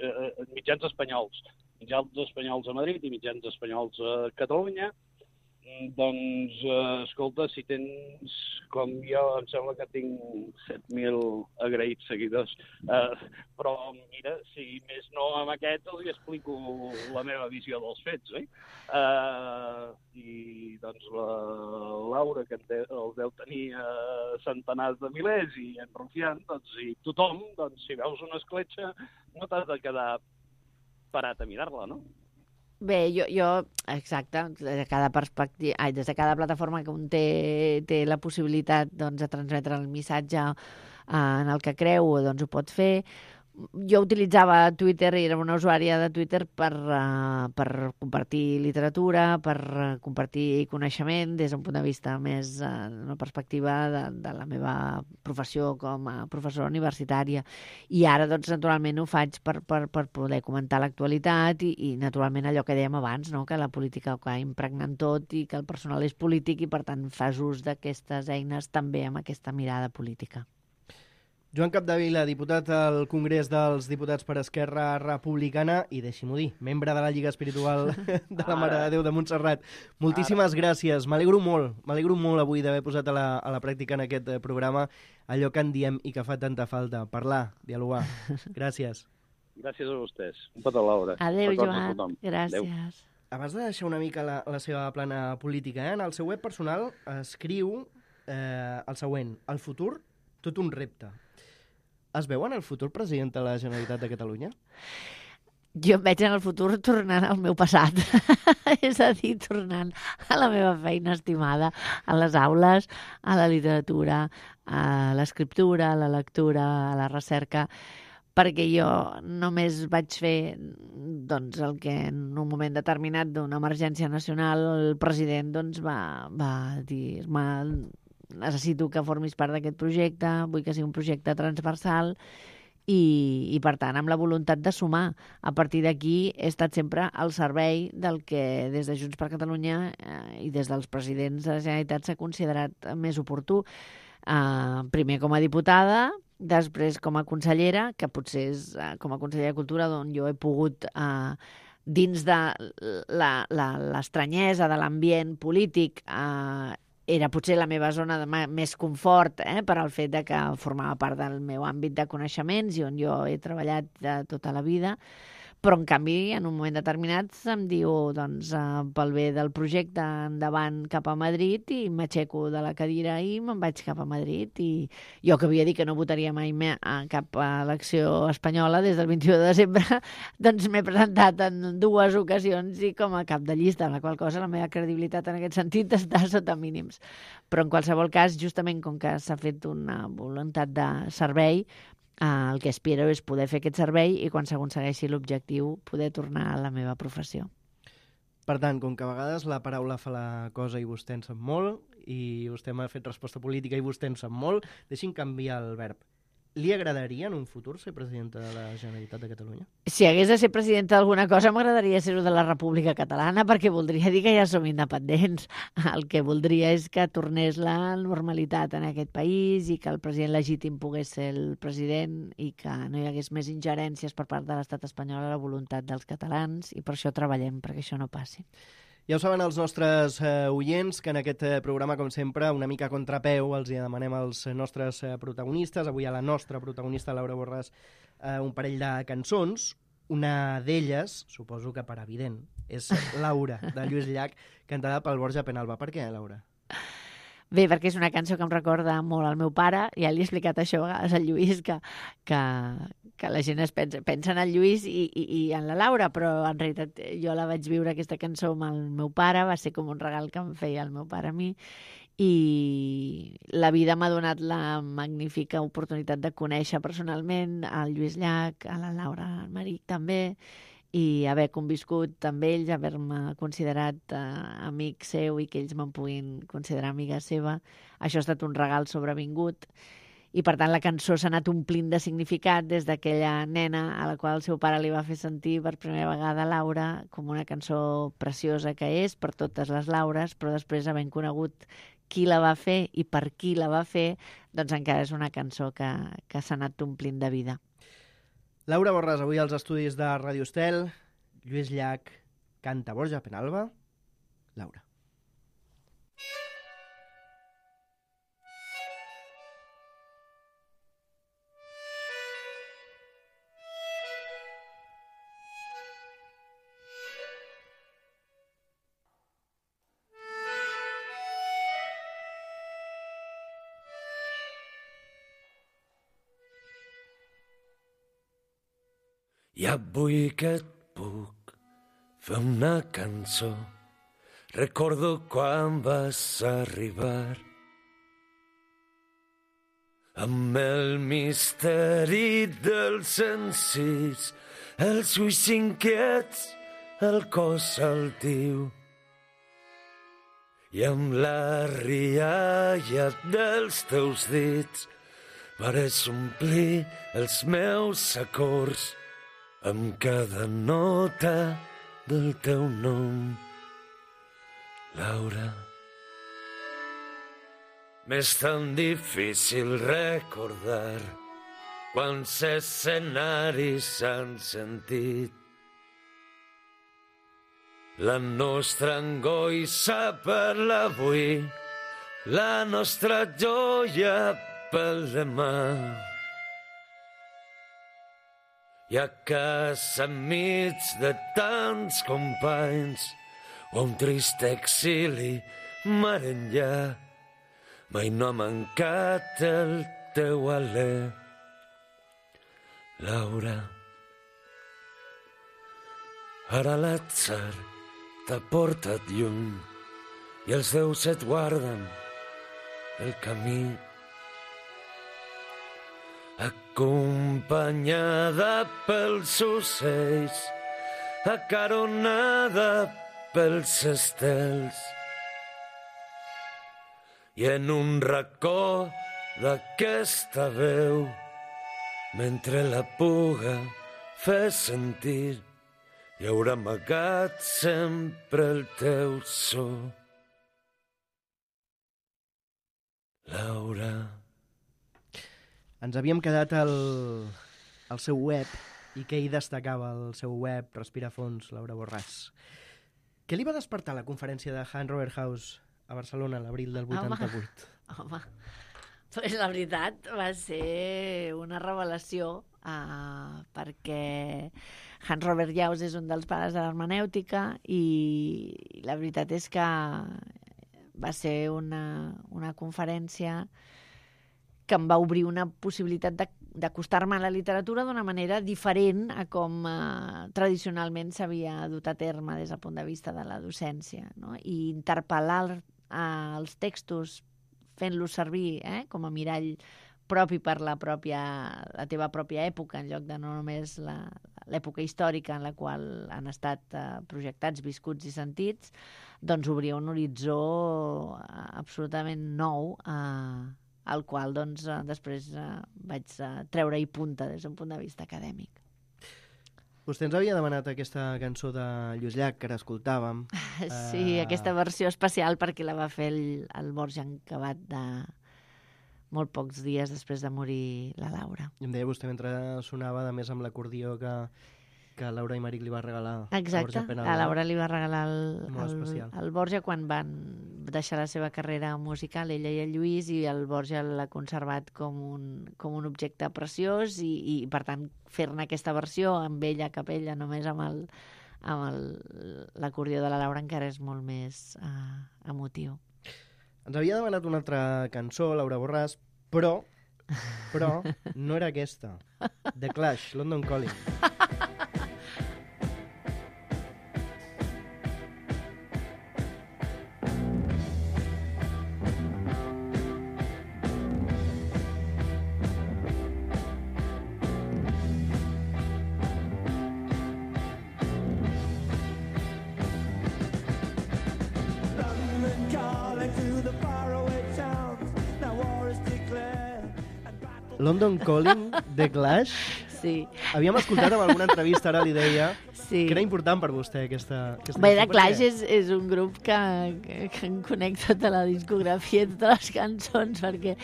mitjans espanyols, mitjans espanyols a Madrid i mitjans espanyols a Catalunya, doncs, eh, escolta, si tens, com jo, em sembla que tinc set mil agraïts seguidors, eh, però mira, si més no amb aquest els explico la meva visió dels fets, eh? Eh, I doncs la Laura, que els deu tenir eh, centenars de milers, i en Rufián, doncs, i tothom, doncs, si veus una escletxa, no t'has de quedar parat a mirar-la, no? Bé, jo, jo exacte, des de cada perspectiva, ai, des de cada plataforma que un té, té la possibilitat doncs, de transmetre el missatge eh, en el que creu, doncs ho pot fer, jo utilitzava Twitter i era una usuària de Twitter per, uh, per compartir literatura, per uh, compartir coneixement des d'un punt de vista més, uh, una perspectiva de, de la meva professió com a professora universitària. I ara, doncs, naturalment ho faig per, per, per poder comentar l'actualitat i, i, naturalment, allò que dèiem abans, no? Que la política ho va impregnant tot i que el personal és polític i, per tant, fas ús d'aquestes eines també amb aquesta mirada política. Joan Capdevila, diputat al Congrés dels Diputats per Esquerra Republicana i, deixi-m'ho dir, membre de la Lliga Espiritual de la Mare de Déu de Montserrat. Moltíssimes gràcies. M'alegro molt, m'alegro molt avui d'haver posat a la, a la pràctica en aquest programa allò que en diem i que fa tanta falta, parlar, dialogar. Gràcies. Gràcies a vostès. Un petó, Laura. Adéu, Joan. Gràcies. Adéu. Abans de deixar una mica la, la seva plana política, eh? En el seu web personal escriu eh, el següent: el futur, tot un repte. Es veu en el futur president de la Generalitat de Catalunya? Jo em veig en el futur tornant al meu passat, és a dir, tornant a la meva feina estimada, a les aules, a la literatura, a l'escriptura, a la lectura, a la recerca, perquè jo només vaig fer doncs, el que en un moment determinat d'una emergència nacional el president doncs, va, va dir-me: necessito que formis part d'aquest projecte, vull que sigui un projecte transversal i, i, per tant, amb la voluntat de sumar. A partir d'aquí he estat sempre al servei del que des de Junts per Catalunya eh, i des dels presidents de la Generalitat s'ha considerat més oportú. Eh, primer com a diputada, després com a consellera, que potser és eh, com a consellera de Cultura d'on jo he pogut... Eh, dins de l'estranyesa de l'ambient polític eh, era potser la meva zona de més confort eh, per al fet de que formava part del meu àmbit de coneixements i on jo he treballat de tota la vida. Però, en canvi, en un moment determinat em diu, doncs, eh, pel bé del projecte, endavant cap a Madrid, i m'aixeco de la cadira i me'n vaig cap a Madrid. I jo, que havia dit que no votaria mai més a cap elecció espanyola des del vint-i-u de desembre, doncs m'he presentat en dues ocasions i com a cap de llista, en la qual cosa la meva credibilitat en aquest sentit està sota mínims. Però, en qualsevol cas, justament com que s'ha fet una voluntat de servei, Uh, el que aspiro és poder fer aquest servei i quan s'aconsegueixi l'objectiu poder tornar a la meva professió. Per tant, com que a vegades la paraula fa la cosa i vostè en sap molt i vostè m'ha fet resposta política i vostè en sap molt, deixi'm canviar el verb. Li agradaria en un futur ser presidenta de la Generalitat de Catalunya? Si hagués de ser presidenta d'alguna cosa, m'agradaria ser-ho de la República Catalana, perquè voldria dir que ja som independents. El que voldria és que tornés la normalitat en aquest país i que el president legítim pogués ser el president i que no hi hagués més ingerències per part de l'estat espanyol a la voluntat dels catalans, i per això treballem, perquè això no passi. Ja ho saben els nostres eh, oients, que en aquest eh, programa, com sempre, una mica a contrapeu, els hi demanem als nostres eh, protagonistes, avui a la nostra protagonista, Laura Borràs, eh, un parell de cançons. Una d'elles, suposo que per evident, és Laura, de Lluís Llach, cantada pel Borja Penalba. Per què, Laura? Bé, perquè és una cançó que em recorda molt al meu pare. Ja li he explicat això a vegades al Lluís, que, que, que la gent es pensa, pensa en el Lluís i, i, i en la Laura, però en realitat jo la vaig viure, aquesta cançó, amb el meu pare. Va ser com un regal que em feia el meu pare a mi. I la vida m'ha donat la magnífica oportunitat de conèixer personalment el Lluís Llach, a la Laura Almeric també, i haver conviscut amb ells, haver-me considerat eh, amic seu i que ells me'n puguin considerar amiga seva. Això ha estat un regal sobrevingut i, per tant, la cançó s'ha anat omplint de significat des d'aquella nena a la qual el seu pare li va fer sentir per primera vegada Laura, com una cançó preciosa que és per totes les Laures, però després, havent conegut qui la va fer i per qui la va fer, doncs encara és una cançó que, que s'ha anat omplint de vida. Laura Borràs, avui als estudis de Ràdio Estel. Lluís Llach canta Borja Penalba. Laura. I avui que et puc fer una cançó, recordo quan vas arribar. amb el misteri dels encís, els ulls inquiets, el cos altiu. I amb la rialla dels teus dits vares omplir els meus acords amb cada nota del teu nom, Laura. M'és tan difícil recordar quants escenaris s'han sentit. La nostra angoixa per l'avui, la nostra joia pel demà. I a casa enmig de tants companys, o un trist exili mar enllà, mai no ha mancat el teu alè, Laura. Ara l'atzar t'ha portat lluny i els déus et guarden el camí. Acompanyada pels ocells, acaronada pels estels, i en un racó d'aquesta veu, mentre la puga fe sentir, hi haurà amagat sempre el teu so, Laura. Ens havíem quedat al, al seu web i què hi destacava el seu web, Respira Fons, Laura Borràs. Què li va despertar la conferència de Hans Robert Haus a Barcelona l'abril del vuitanta-vuit? Home, home. Pues la veritat va ser una revelació uh, perquè Hans Robert Haus és un dels pares de l'hermenèutica i la veritat és que va ser una, una conferència que em va obrir una possibilitat d'acostar-me a la literatura d'una manera diferent a com eh, tradicionalment s'havia dut a terme des del punt de vista de la docència, no? I interpel·lar eh, els textos fent-los servir eh, com a mirall propi per la, pròpia, la teva pròpia època, en lloc de no només l'època històrica en la qual han estat eh, projectats, viscuts i sentits, doncs obria un horitzó absolutament nou eh, al qual doncs, després eh, vaig eh, treure-hi punta des d'un punt de vista acadèmic. Vostè ens havia demanat aquesta cançó de Lluís Llach, que ara escoltàvem. Sí, uh... aquesta versió especial perquè la va fer el, el Borja Encabat de molt pocs dies després de morir la Laura. I em deia vostè mentre sonava, a més amb l'acordió que, que Laura i Maric li va regalar. Exacte, a, a Laura li va regalar el, el, el Borja quan van deixar la seva carrera musical, ella i el Lluís, i el Borja l'ha conservat com un, com un objecte preciós i, i per tant, fer-ne aquesta versió amb ella a capella, només amb el amb l'acordió de la Laura encara és molt més uh, emotiu. Ens havia demanat una altra cançó, Laura Borràs, però, però no era aquesta. The Clash, London Calling. London Calling, The Clash. Sí. Havíem escoltat en alguna entrevista, ara li deia, sí, que era important per vostè aquesta, aquesta Bé, The cançó. Clash és, és un grup que, que, que em conec tota la discografia, totes les cançons, perquè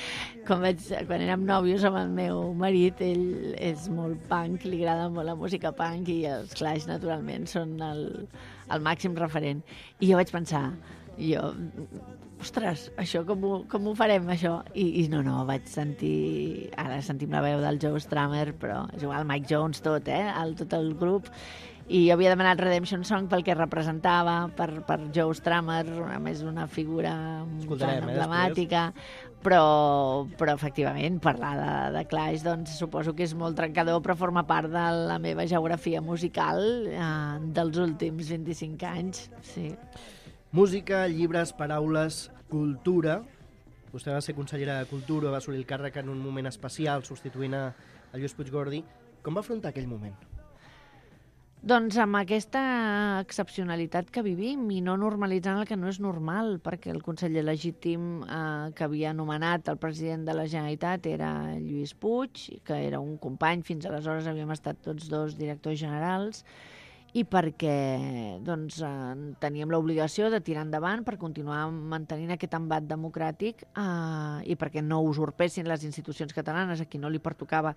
quan, vaig, quan érem nòvios amb el meu marit, ell és molt punk, li agrada molt la música punk i els Clash, naturalment, són el, el màxim referent. I jo vaig pensar, jo... ostres, això com ho, com ho farem, això? I, I no, no, vaig sentir... Ara sentim la veu del Joe Strummer, però és igual, Mike Jones, tot, eh? El, tot el grup. I jo havia demanat Redemption Song pel que representava, per, per Joe Strummer, a més una figura tan emblemàtica, eh, però, però efectivament, parlar de, de Clash, doncs suposo que és molt trencador, però forma part de la meva geografia musical eh, dels últims vint-i-cinc anys, sí. Música, llibres, paraules, cultura, Vostè va ser consellera de Cultura, va assolir el càrrec en un moment especial, substituint a, a Lluís Puigdemont. Com va afrontar aquell moment? Doncs amb aquesta excepcionalitat que vivim i no normalitzant el que no és normal, perquè el conseller legítim eh, que havia nomenat el president de la Generalitat era Lluís Puig, que era un company, fins aleshores havíem estat tots dos directors generals, i perquè doncs, eh, teníem l'obligació de tirar endavant per continuar mantenint aquest embat democràtic eh, i perquè no usurpessin les institucions catalanes a qui no li pertocava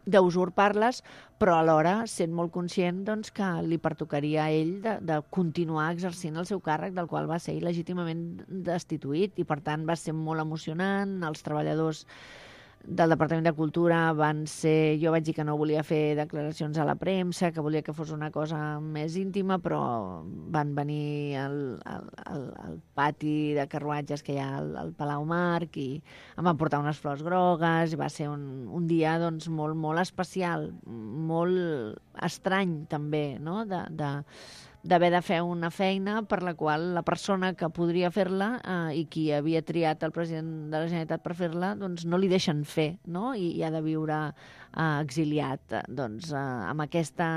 d'usurpar-les, però alhora sent molt conscient doncs, que li pertocaria a ell de, de continuar exercint el seu càrrec del qual va ser il·legítimament destituït, i per tant va ser molt emocionant. Els treballadors del Departament de Cultura van ser... Jo vaig dir que no volia fer declaracions a la premsa, que volia que fos una cosa més íntima, però van venir al, al, al, al pati de carruatges que hi ha al, al Palau Marc i em van portar unes flors grogues, i va ser un, un dia doncs, molt, molt especial, molt estrany també, no?, de... de d'haver de fer una feina per la qual la persona que podria fer-la eh, i qui havia triat el president de la Generalitat per fer-la, doncs no li deixen fer, no? I, i ha de viure eh, exiliat. Doncs eh, amb aquesta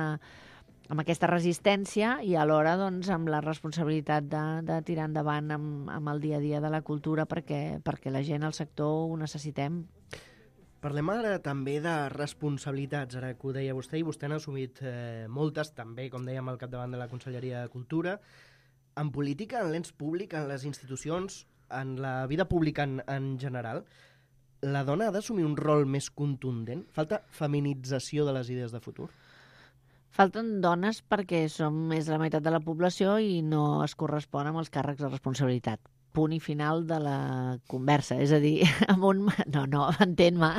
amb aquesta resistència i alhora doncs, amb la responsabilitat de, de tirar endavant amb, amb el dia a dia de la cultura perquè, perquè la gent, el sector, ho necessitem. Parlem ara també de responsabilitats, ara que ho deia vostè, i vostè n'ha assumit eh, moltes, també, com dèiem, al capdavant de la Conselleria de Cultura. En política, en l'ens públic, en les institucions, en la vida pública en, en general, la dona ha d'assumir un rol més contundent? Falta feminització de les idees de futur? Falten dones perquè som més de la meitat de la població i no es correspon amb els càrrecs de responsabilitat. Punt i final de la conversa. És a dir, amb un... No, no, entén-me.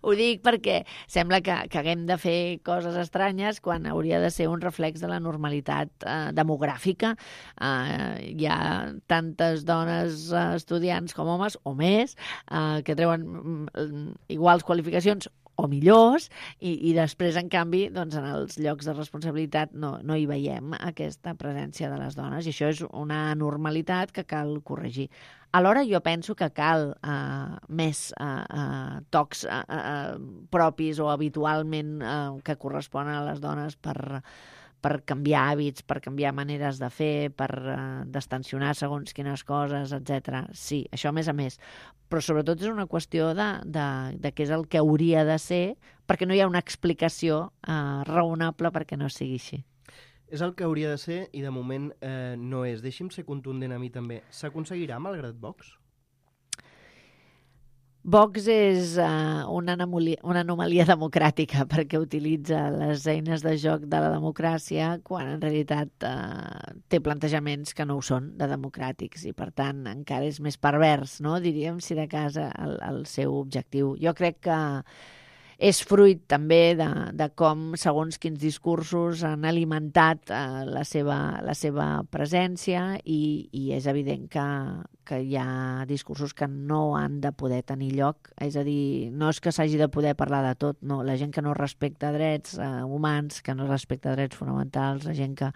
Ho dic perquè sembla que, que haguem de fer coses estranyes quan hauria de ser un reflex de la normalitat eh, demogràfica. Eh, hi ha tantes dones eh, estudiants com homes, o més, eh, que treuen mm, iguals qualificacions o millors, i, i després, en canvi, doncs, en els llocs de responsabilitat no, no hi veiem aquesta presència de les dones, i això és una anormalitat que cal corregir. Alhora jo penso que cal eh, més eh, eh, tocs eh, eh, propis o habitualment eh, que corresponen a les dones per, per canviar hàbits, per canviar maneres de fer, per eh, destensionar segons quines coses, etcètera. Sí, això a més a més. Però sobretot és una qüestió de, de, de què és el que hauria de ser, perquè no hi ha una explicació eh, raonable perquè no sigui així. És el que hauria de ser i de moment eh, no és. Deixi'm ser contundent a mi també. S'aconseguirà malgrat Vox? Vox és uh, una, anomalia, una anomalia democràtica perquè utilitza les eines de joc de la democràcia quan en realitat uh, té plantejaments que no ho són de democràtics i per tant encara és més pervers, no? Diríem, si de casa el, el seu objectiu. Jo crec que és fruit també de, de com segons quins discursos han alimentat eh, la, seva, la seva presència i, i és evident que, que hi ha discursos que no han de poder tenir lloc. És a dir, no és que s'hagi de poder parlar de tot, no. La gent que no respecta drets eh, humans, que no respecta drets fonamentals, la gent que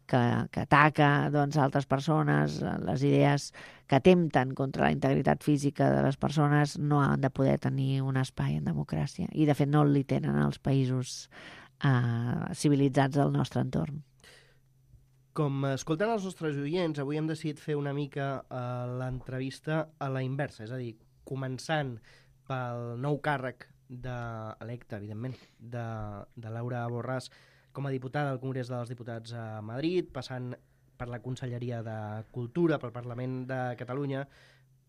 que, que ataca doncs, altres persones, les idees que atempten contra la integritat física de les persones no han de poder tenir un espai en democràcia. I, de fet, no li tenen els països eh, civilitzats del nostre entorn. Com escolten els nostres oients, avui hem decidit fer una mica eh, l'entrevista a la inversa, és a dir, començant pel nou càrrec de, electe, evidentment, de, de Laura Borràs, com a diputada al Congrés dels Diputats a Madrid, passant per la Conselleria de Cultura, pel Parlament de Catalunya,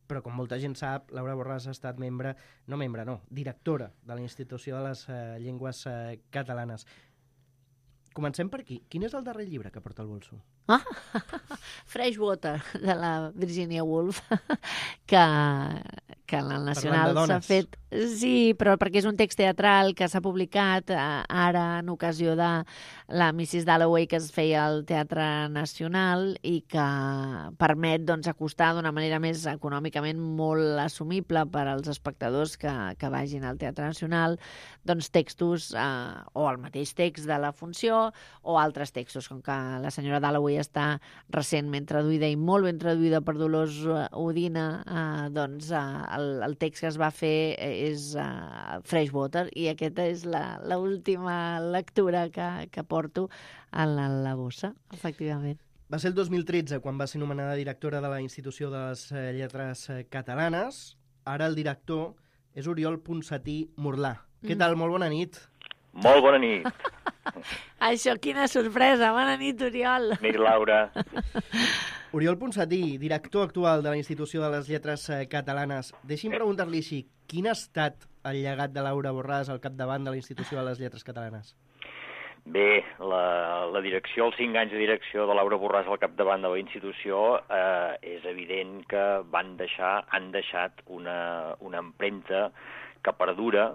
però com molta gent sap, Laura Borràs ha estat membre, no membre, no, directora de la Institució de les eh, Llengües eh, Catalanes. Comencem per aquí. Quin és el darrer llibre que porta al bolso? Ah, Freshwater, de la Virginia Woolf, que, que en el Nacional s'ha fet... Sí, però perquè és un text teatral que s'ha publicat eh, ara en ocasió de la missus Dalloway que es feia al Teatre Nacional i que permet doncs, acostar d'una manera més econòmicament molt assumible per als espectadors que, que vagin al Teatre Nacional doncs, textos eh, o el mateix text de la funció o altres textos, com que la senyora Dalloway està recentment traduïda i molt ben traduïda per Dolors Udina, eh, doncs eh, el, el text que es va fer és uh, Freshwater i aquesta és l'última lectura que, que porto a la, la bossa, efectivament. Va ser el dos mil tretze quan va ser nomenada directora de la Institució de les Lletres Catalanes. Ara el director és Oriol Ponsatí Murlà. Mm. Què tal? Molt bona nit. Molt bona nit. Això, quina sorpresa. Bona nit, Oriol. Nit, Laura. Oriol Ponsatí, director actual de la Institució de les Lletres Catalanes. Deixi'm preguntar-li així, quin ha estat el llegat de Laura Borràs al capdavant de la Institució de les Lletres Catalanes? Bé, la, la direcció, els cinc anys de direcció de Laura Borràs al capdavant de la institució eh, és evident que van deixar, han deixat una, una empremta que perdura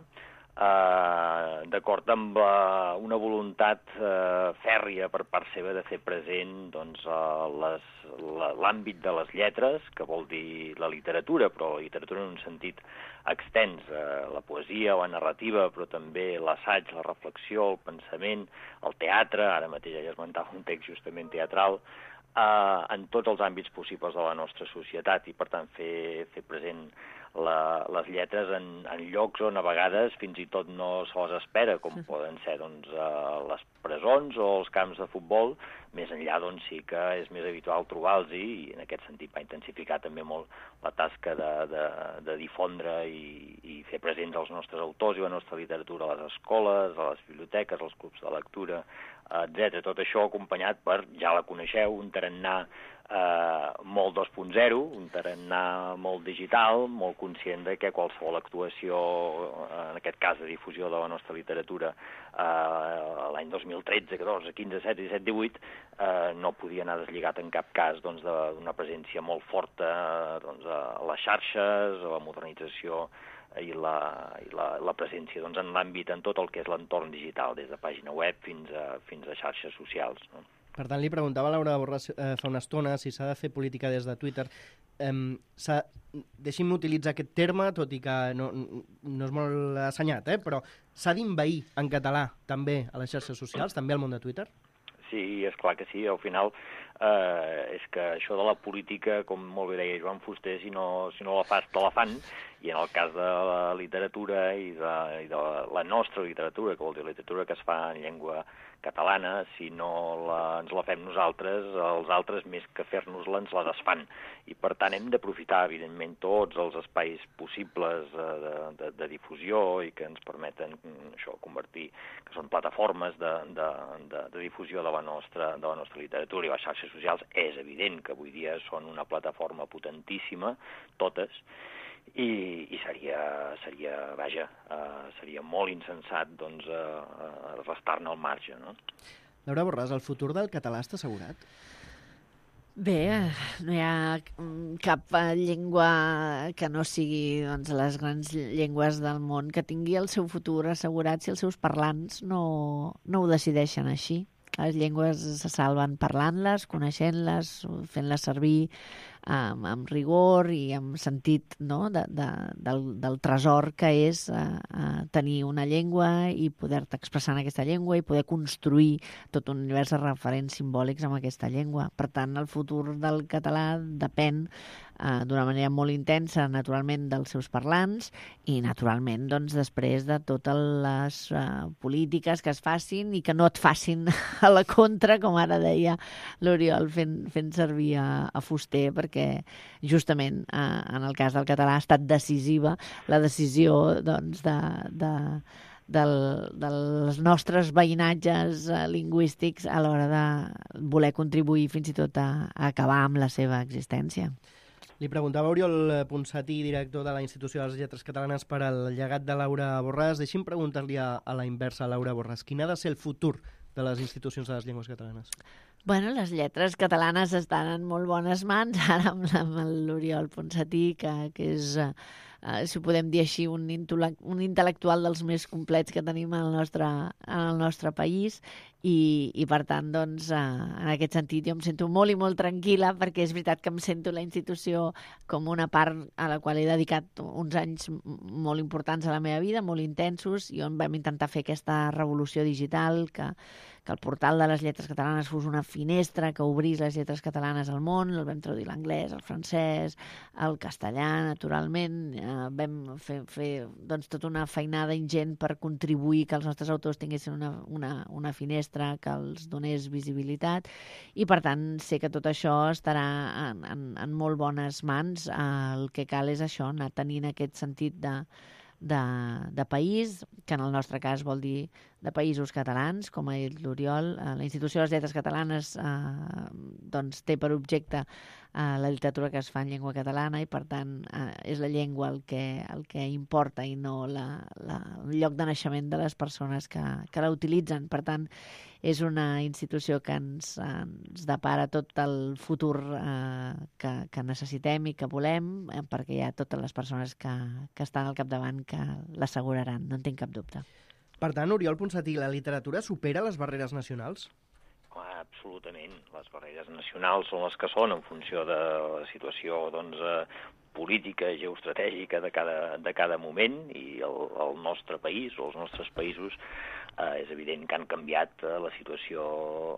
Uh, d'acord amb uh, una voluntat uh, fèrria per part seva de fer present doncs, uh, les, la, l'àmbit de les lletres, que vol dir la literatura, però la literatura en un sentit extens, uh, la poesia, la narrativa, però també l'assaig, la reflexió, el pensament, el teatre, ara mateix ja esmentava un text justament teatral, uh, en tots els àmbits possibles de la nostra societat i, per tant, fer, fer present La, les lletres en, en llocs on a vegades fins i tot no se les espera, com poden ser doncs, uh, les presons o els camps de futbol. Més enllà doncs, sí que és més habitual trobar-los i en aquest sentit va intensificar també molt la tasca de, de, de difondre i, i fer presents els nostres autors i la nostra literatura a les escoles, a les biblioteques, als clubs de lectura, etcètera. Tot això acompanyat per, ja la coneixeu, un tarannà Uh, molt dos punt zero, un tarannà molt digital, molt conscient de que qualsevol actuació, en aquest cas de difusió de la nostra literatura, uh, l'any dos mil tretze, catorze, quinze, setze, disset, divuit, uh, no podia anar deslligat en cap cas doncs, d'una presència molt forta doncs, a les xarxes, a la modernització i la, i la, la presència doncs, en l'àmbit, en tot el que és l'entorn digital, des de pàgina web fins a, fins a xarxes socials, no? Per tant, li preguntava a Laura Borràs eh, fa una estona si s'ha de fer política des de Twitter. Eh, Deixi'm utilitzar aquest terme, tot i que no, no és molt assenyat, eh, però s'ha d'inveir en català també a les xarxes socials, també al món de Twitter? Sí, és clar que sí. Al final eh, és que això de la política, com molt bé deia Joan Fuster, si no, si no la fas, te la fan, i en el cas de la literatura i de, i de la nostra literatura, que vol dir literatura que es fa en llengua catalana, si no la, ens la fem nosaltres, els altres, més que fer-nos-la, ens la desfan. I, per tant, hem d'aprofitar, evidentment, tots els espais possibles de, de, de difusió i que ens permeten això convertir, que són plataformes de, de, de, de difusió de la, nostra, de la nostra literatura. I les xarxes socials és evident que avui dia són una plataforma potentíssima, totes, I, i seria, seria, vaja, uh, seria molt insensat doncs, uh, restar-ne al marge, no? Laura Borràs, el futur del català està assegurat? Bé, no hi ha cap llengua que no sigui doncs, les grans llengües del món que tingui el seu futur assegurat si els seus parlants no, no ho decideixen així. Les llengües se salven parlant-les, coneixent-les, fent-les servir amb, amb rigor i amb sentit, no? de, de, del, del tresor que és uh, tenir una llengua i poder-te expressar en aquesta llengua i poder construir tot un univers de referents simbòlics amb aquesta llengua. Per tant, el futur del català depèn uh, d'una manera molt intensa, naturalment, dels seus parlants i, naturalment, doncs, després de totes les uh, polítiques que es facin i que no et facin a la contra, com ara deia l'Oriol fent, fent servir a, a Fuster, perquè justament eh, en el cas del català ha estat decisiva la decisió doncs, de, de, del, dels nostres veïnatges eh, lingüístics a l'hora de voler contribuir fins i tot a, a acabar amb la seva existència. Li preguntava Oriol Ponsatí, director de la Institució de les Lletres Catalanes, per al llegat de Laura Borràs. Deixi'm preguntar-li a, a la inversa a Laura Borràs. Quin ha de ser el futur de les institucions de les llengües catalanes? Bueno, les lletres catalanes estan en molt bones mans, ara amb, amb l'Oriol Ponsatí, que, que és, eh, si ho podem dir així, un, un intel·lectual dels més complets que tenim en el nostre, en el nostre país, i, i per tant, doncs, eh, en aquest sentit, jo em sento molt i molt tranquil·la, perquè és veritat que em sento la institució com una part a la qual he dedicat uns anys molt importants a la meva vida, molt intensos, i on vam intentar fer aquesta revolució digital, que, que el portal de les lletres catalanes fos una finestra que obrís les lletres catalanes al món. El vam traduir l'anglès, el francès, el castellà, naturalment. Eh, vam fer, fer doncs, tota una feinada ingent per contribuir que els nostres autors tinguessin una, una, una finestra que els donés visibilitat, i per tant sé que tot això estarà en, en, en molt bones mans. El que cal és això, anar tenint aquest sentit de, de, de país, que en el nostre cas vol dir de països catalans, com ha dit l'Oriol. La Institució de les Lletres Catalanes eh, doncs, té per objecte eh, la literatura que es fa en llengua catalana, i per tant eh, és la llengua el que, el que importa i no la, la, el lloc de naixement de les persones que, que la utilitzen. Per tant, és una institució que ens, ens depara tot el futur eh, que, que necessitem i que volem, eh, perquè hi ha totes les persones que, que estan al capdavant que l'asseguraran, no en tinc cap dubte. Per tant, Oriol Ponsatí, la literatura supera les barreres nacionals? Absolutament. Les barreres nacionals són les que són en funció de la situació doncs, eh, política, geoestratègica de cada, de cada moment, i el, el nostre país o els nostres països eh, és evident que han canviat eh, la situació,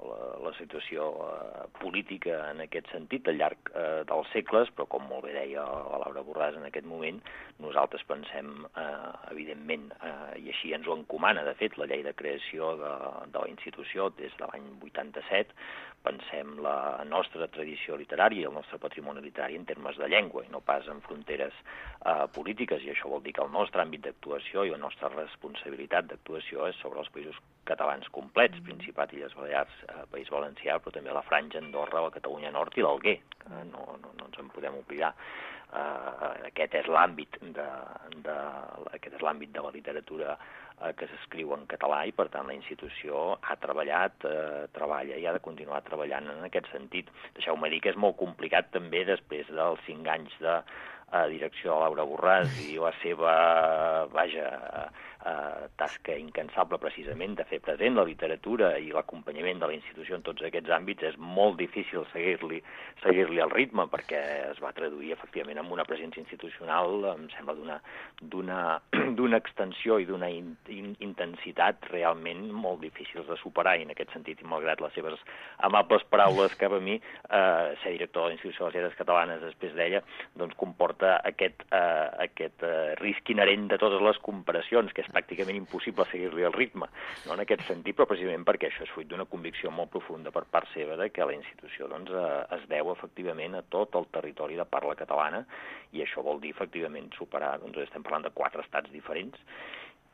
la, la situació eh, política en aquest sentit al llarg eh, dels segles, però com molt bé deia la Laura Borràs en aquest moment, nosaltres pensem, eh, evidentment, eh, i així ens ho encomana, de fet, la llei de creació de, de la institució des de l'any vuitanta-set, pensem la nostra tradició literària i el nostre patrimoni literari en termes de llengua i no pas en fronteres eh, polítiques, i això vol dir que el nostre àmbit d'actuació i la nostra responsabilitat d'actuació és sobre els països catalans complets, Principat, Illes Balears, eh, País Valencià, però també la Franja, Andorra, la Catalunya Nord i l'Alguer, que no, no, no ens en podem oblidar. Uh, aquest és l'àmbit de, de, aquest és l'àmbit de la literatura uh, que s'escriu en català, i per tant la institució ha treballat, uh, treballa i ha de continuar treballant en aquest sentit. Deixeu-me dir que és molt complicat també després dels cinc anys de uh, direcció de Laura Borràs i la seva, vaja, uh, tasca incansable precisament de fer present la literatura i l'acompanyament de la institució en tots aquests àmbits. És molt difícil seguir-li seguir-li el ritme, perquè es va traduir efectivament amb una presència institucional, em sembla, d'una d'una d'una extensió i d'una in, in, intensitat realment molt difícils de superar, i en aquest sentit, i malgrat les seves amables paraules cap a mi, eh, ser director de la Institució de les Lletres Catalanes després d'ella, doncs comporta aquest, eh, aquest eh, risc inherent de totes les comparacions, que és pràcticament impossible seguir-li el ritme, no en aquest sentit, però precisament perquè això és fruit d'una convicció molt profunda per part seva de que la institució doncs, eh, es deu efectivament a tot el territori de parla catalana, i això vol dir efectivament superar, doncs estem parlant de quatre estats diferents,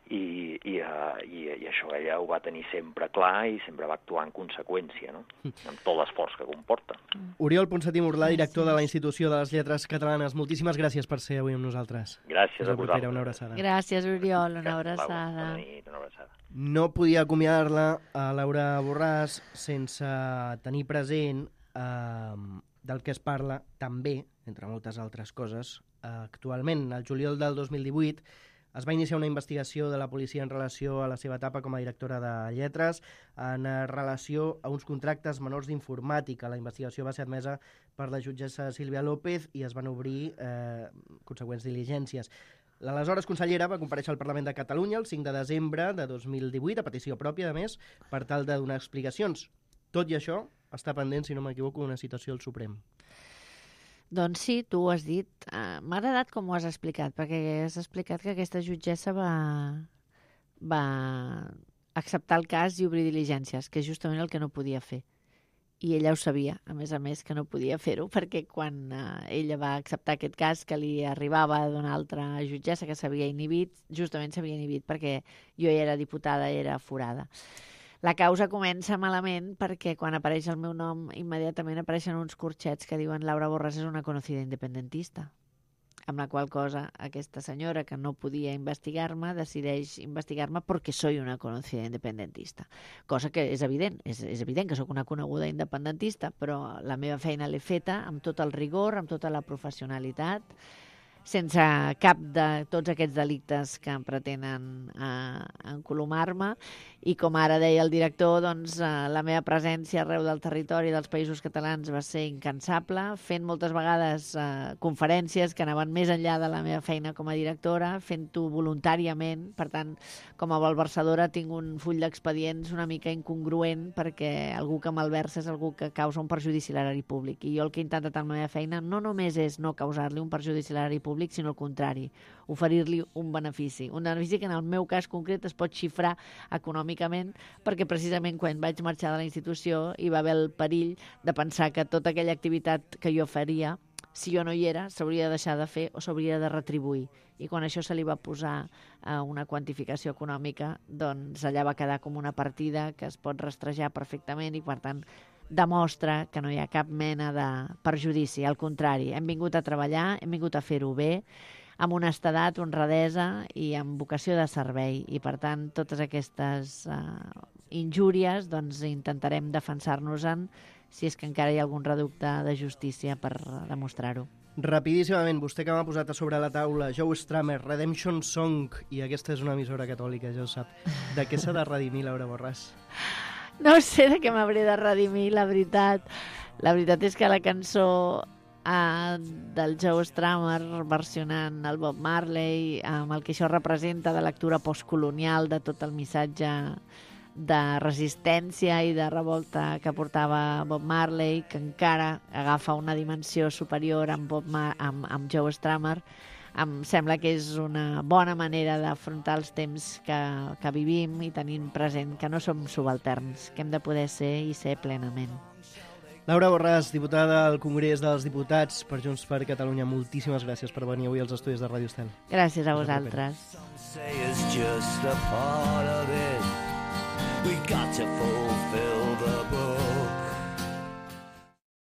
i, i, uh, i, i això ella ho va tenir sempre clar i sempre va actuar en conseqüència, no? Amb tot l'esforç que comporta. Oriol Ponsatí Murlà, director de la Institució de les Lletres Catalanes, moltíssimes gràcies per ser avui amb nosaltres. Gràcies a vosaltres. Una abraçada. Gràcies, Oriol, una abraçada. Bona nit, una abraçada. No podia acomiadar-la a Laura Borràs sense tenir present eh, del que es parla també, entre moltes altres coses, eh, actualment. El juliol del dos mil divuit es va iniciar una investigació de la policia en relació a la seva etapa com a directora de lletres en relació a uns contractes menors d'informàtica. La investigació va ser admesa per la jutgessa Sílvia López i es van obrir eh, consegüents diligències. L'aleshores consellera va comparèixer al Parlament de Catalunya el cinc de desembre de dos mil divuit, a petició pròpia, a més, per tal de donar explicacions. Tot i això, està pendent, si no m'equivoco, una citació al Suprem. Doncs sí, tu ho has dit. Uh, M'ha agradat com ho has explicat, perquè has explicat que aquesta jutgessa va, va acceptar el cas i obrir diligències, que és justament el que no podia fer. I ella ho sabia, a més a més, que no podia fer-ho, perquè quan uh, ella va acceptar aquest cas que li arribava d'una altra jutgessa que s'havia inhibit, justament s'havia inhibit perquè jo ja era diputada, era forada. La causa comença malament perquè quan apareix el meu nom immediatament apareixen uns corxets que diuen Laura Borràs és una conocida independentista. amb la qual cosa aquesta senyora, que no podia investigar-me, decideix investigar-me perquè soy una conocida independentista. Cosa que és evident, és, és evident que sóc una coneguda independentista, però la meva feina l'he feta amb tot el rigor, amb tota la professionalitat, sense cap de tots aquests delictes que em pretenen eh, encolomar-me, i com ara deia el director, doncs, eh, la meva presència arreu del territori dels Països Catalans va ser incansable, fent moltes vegades eh, conferències que anaven més enllà de la meva feina com a directora, fent-ho voluntàriament. Per tant, com a malversadora tinc un full d'expedients una mica incongruent, perquè algú que malversa és algú que causa un perjudici a l'erari públic, i jo el que he intentat amb la meva feina no només és no causar-li un perjudici a l'erari públic, sinó al contrari, oferir-li un benefici. Un benefici que en el meu cas concret es pot xifrar econòmicament, perquè precisament quan vaig marxar de la institució hi va haver el perill de pensar que tota aquella activitat que jo faria, si jo no hi era, s'hauria de deixar de fer o s'hauria de retribuir. I quan això se li va posar a una quantificació econòmica, doncs allà va quedar com una partida que es pot rastrejar perfectament i, per tant, demostra que no hi ha cap mena de perjudici. Al contrari, hem vingut a treballar, hem vingut a fer-ho bé, amb honestedat, honradesa i amb vocació de servei. I, per tant, totes aquestes uh, injúries doncs, intentarem defensar-nos-en si és que encara hi ha algun reducte de justícia per demostrar-ho. Rapidíssimament, vostè que m'ha posat a sobre la taula Joe Strummer, Redemption Song, i aquesta és una emissora catòlica, ja ho sap. De què s'ha de redimir Laura Borràs? No sé de què m'hauré de redimir, la veritat. La veritat és que la cançó uh, del Joe Strummer versionant el Bob Marley, amb el que això representa de lectura postcolonial de tot el missatge de resistència i de revolta que portava Bob Marley, que encara agafa una dimensió superior amb, Bob Mar amb, amb Joe Strummer, em sembla que és una bona manera d'afrontar els temps que, que vivim i tenint present que no som subalterns, que hem de poder ser i ser plenament. Laura Borràs, diputada al Congrés dels Diputats per Junts per Catalunya, moltíssimes gràcies per venir avui als estudis de Ràdio Estel. Gràcies a vosaltres.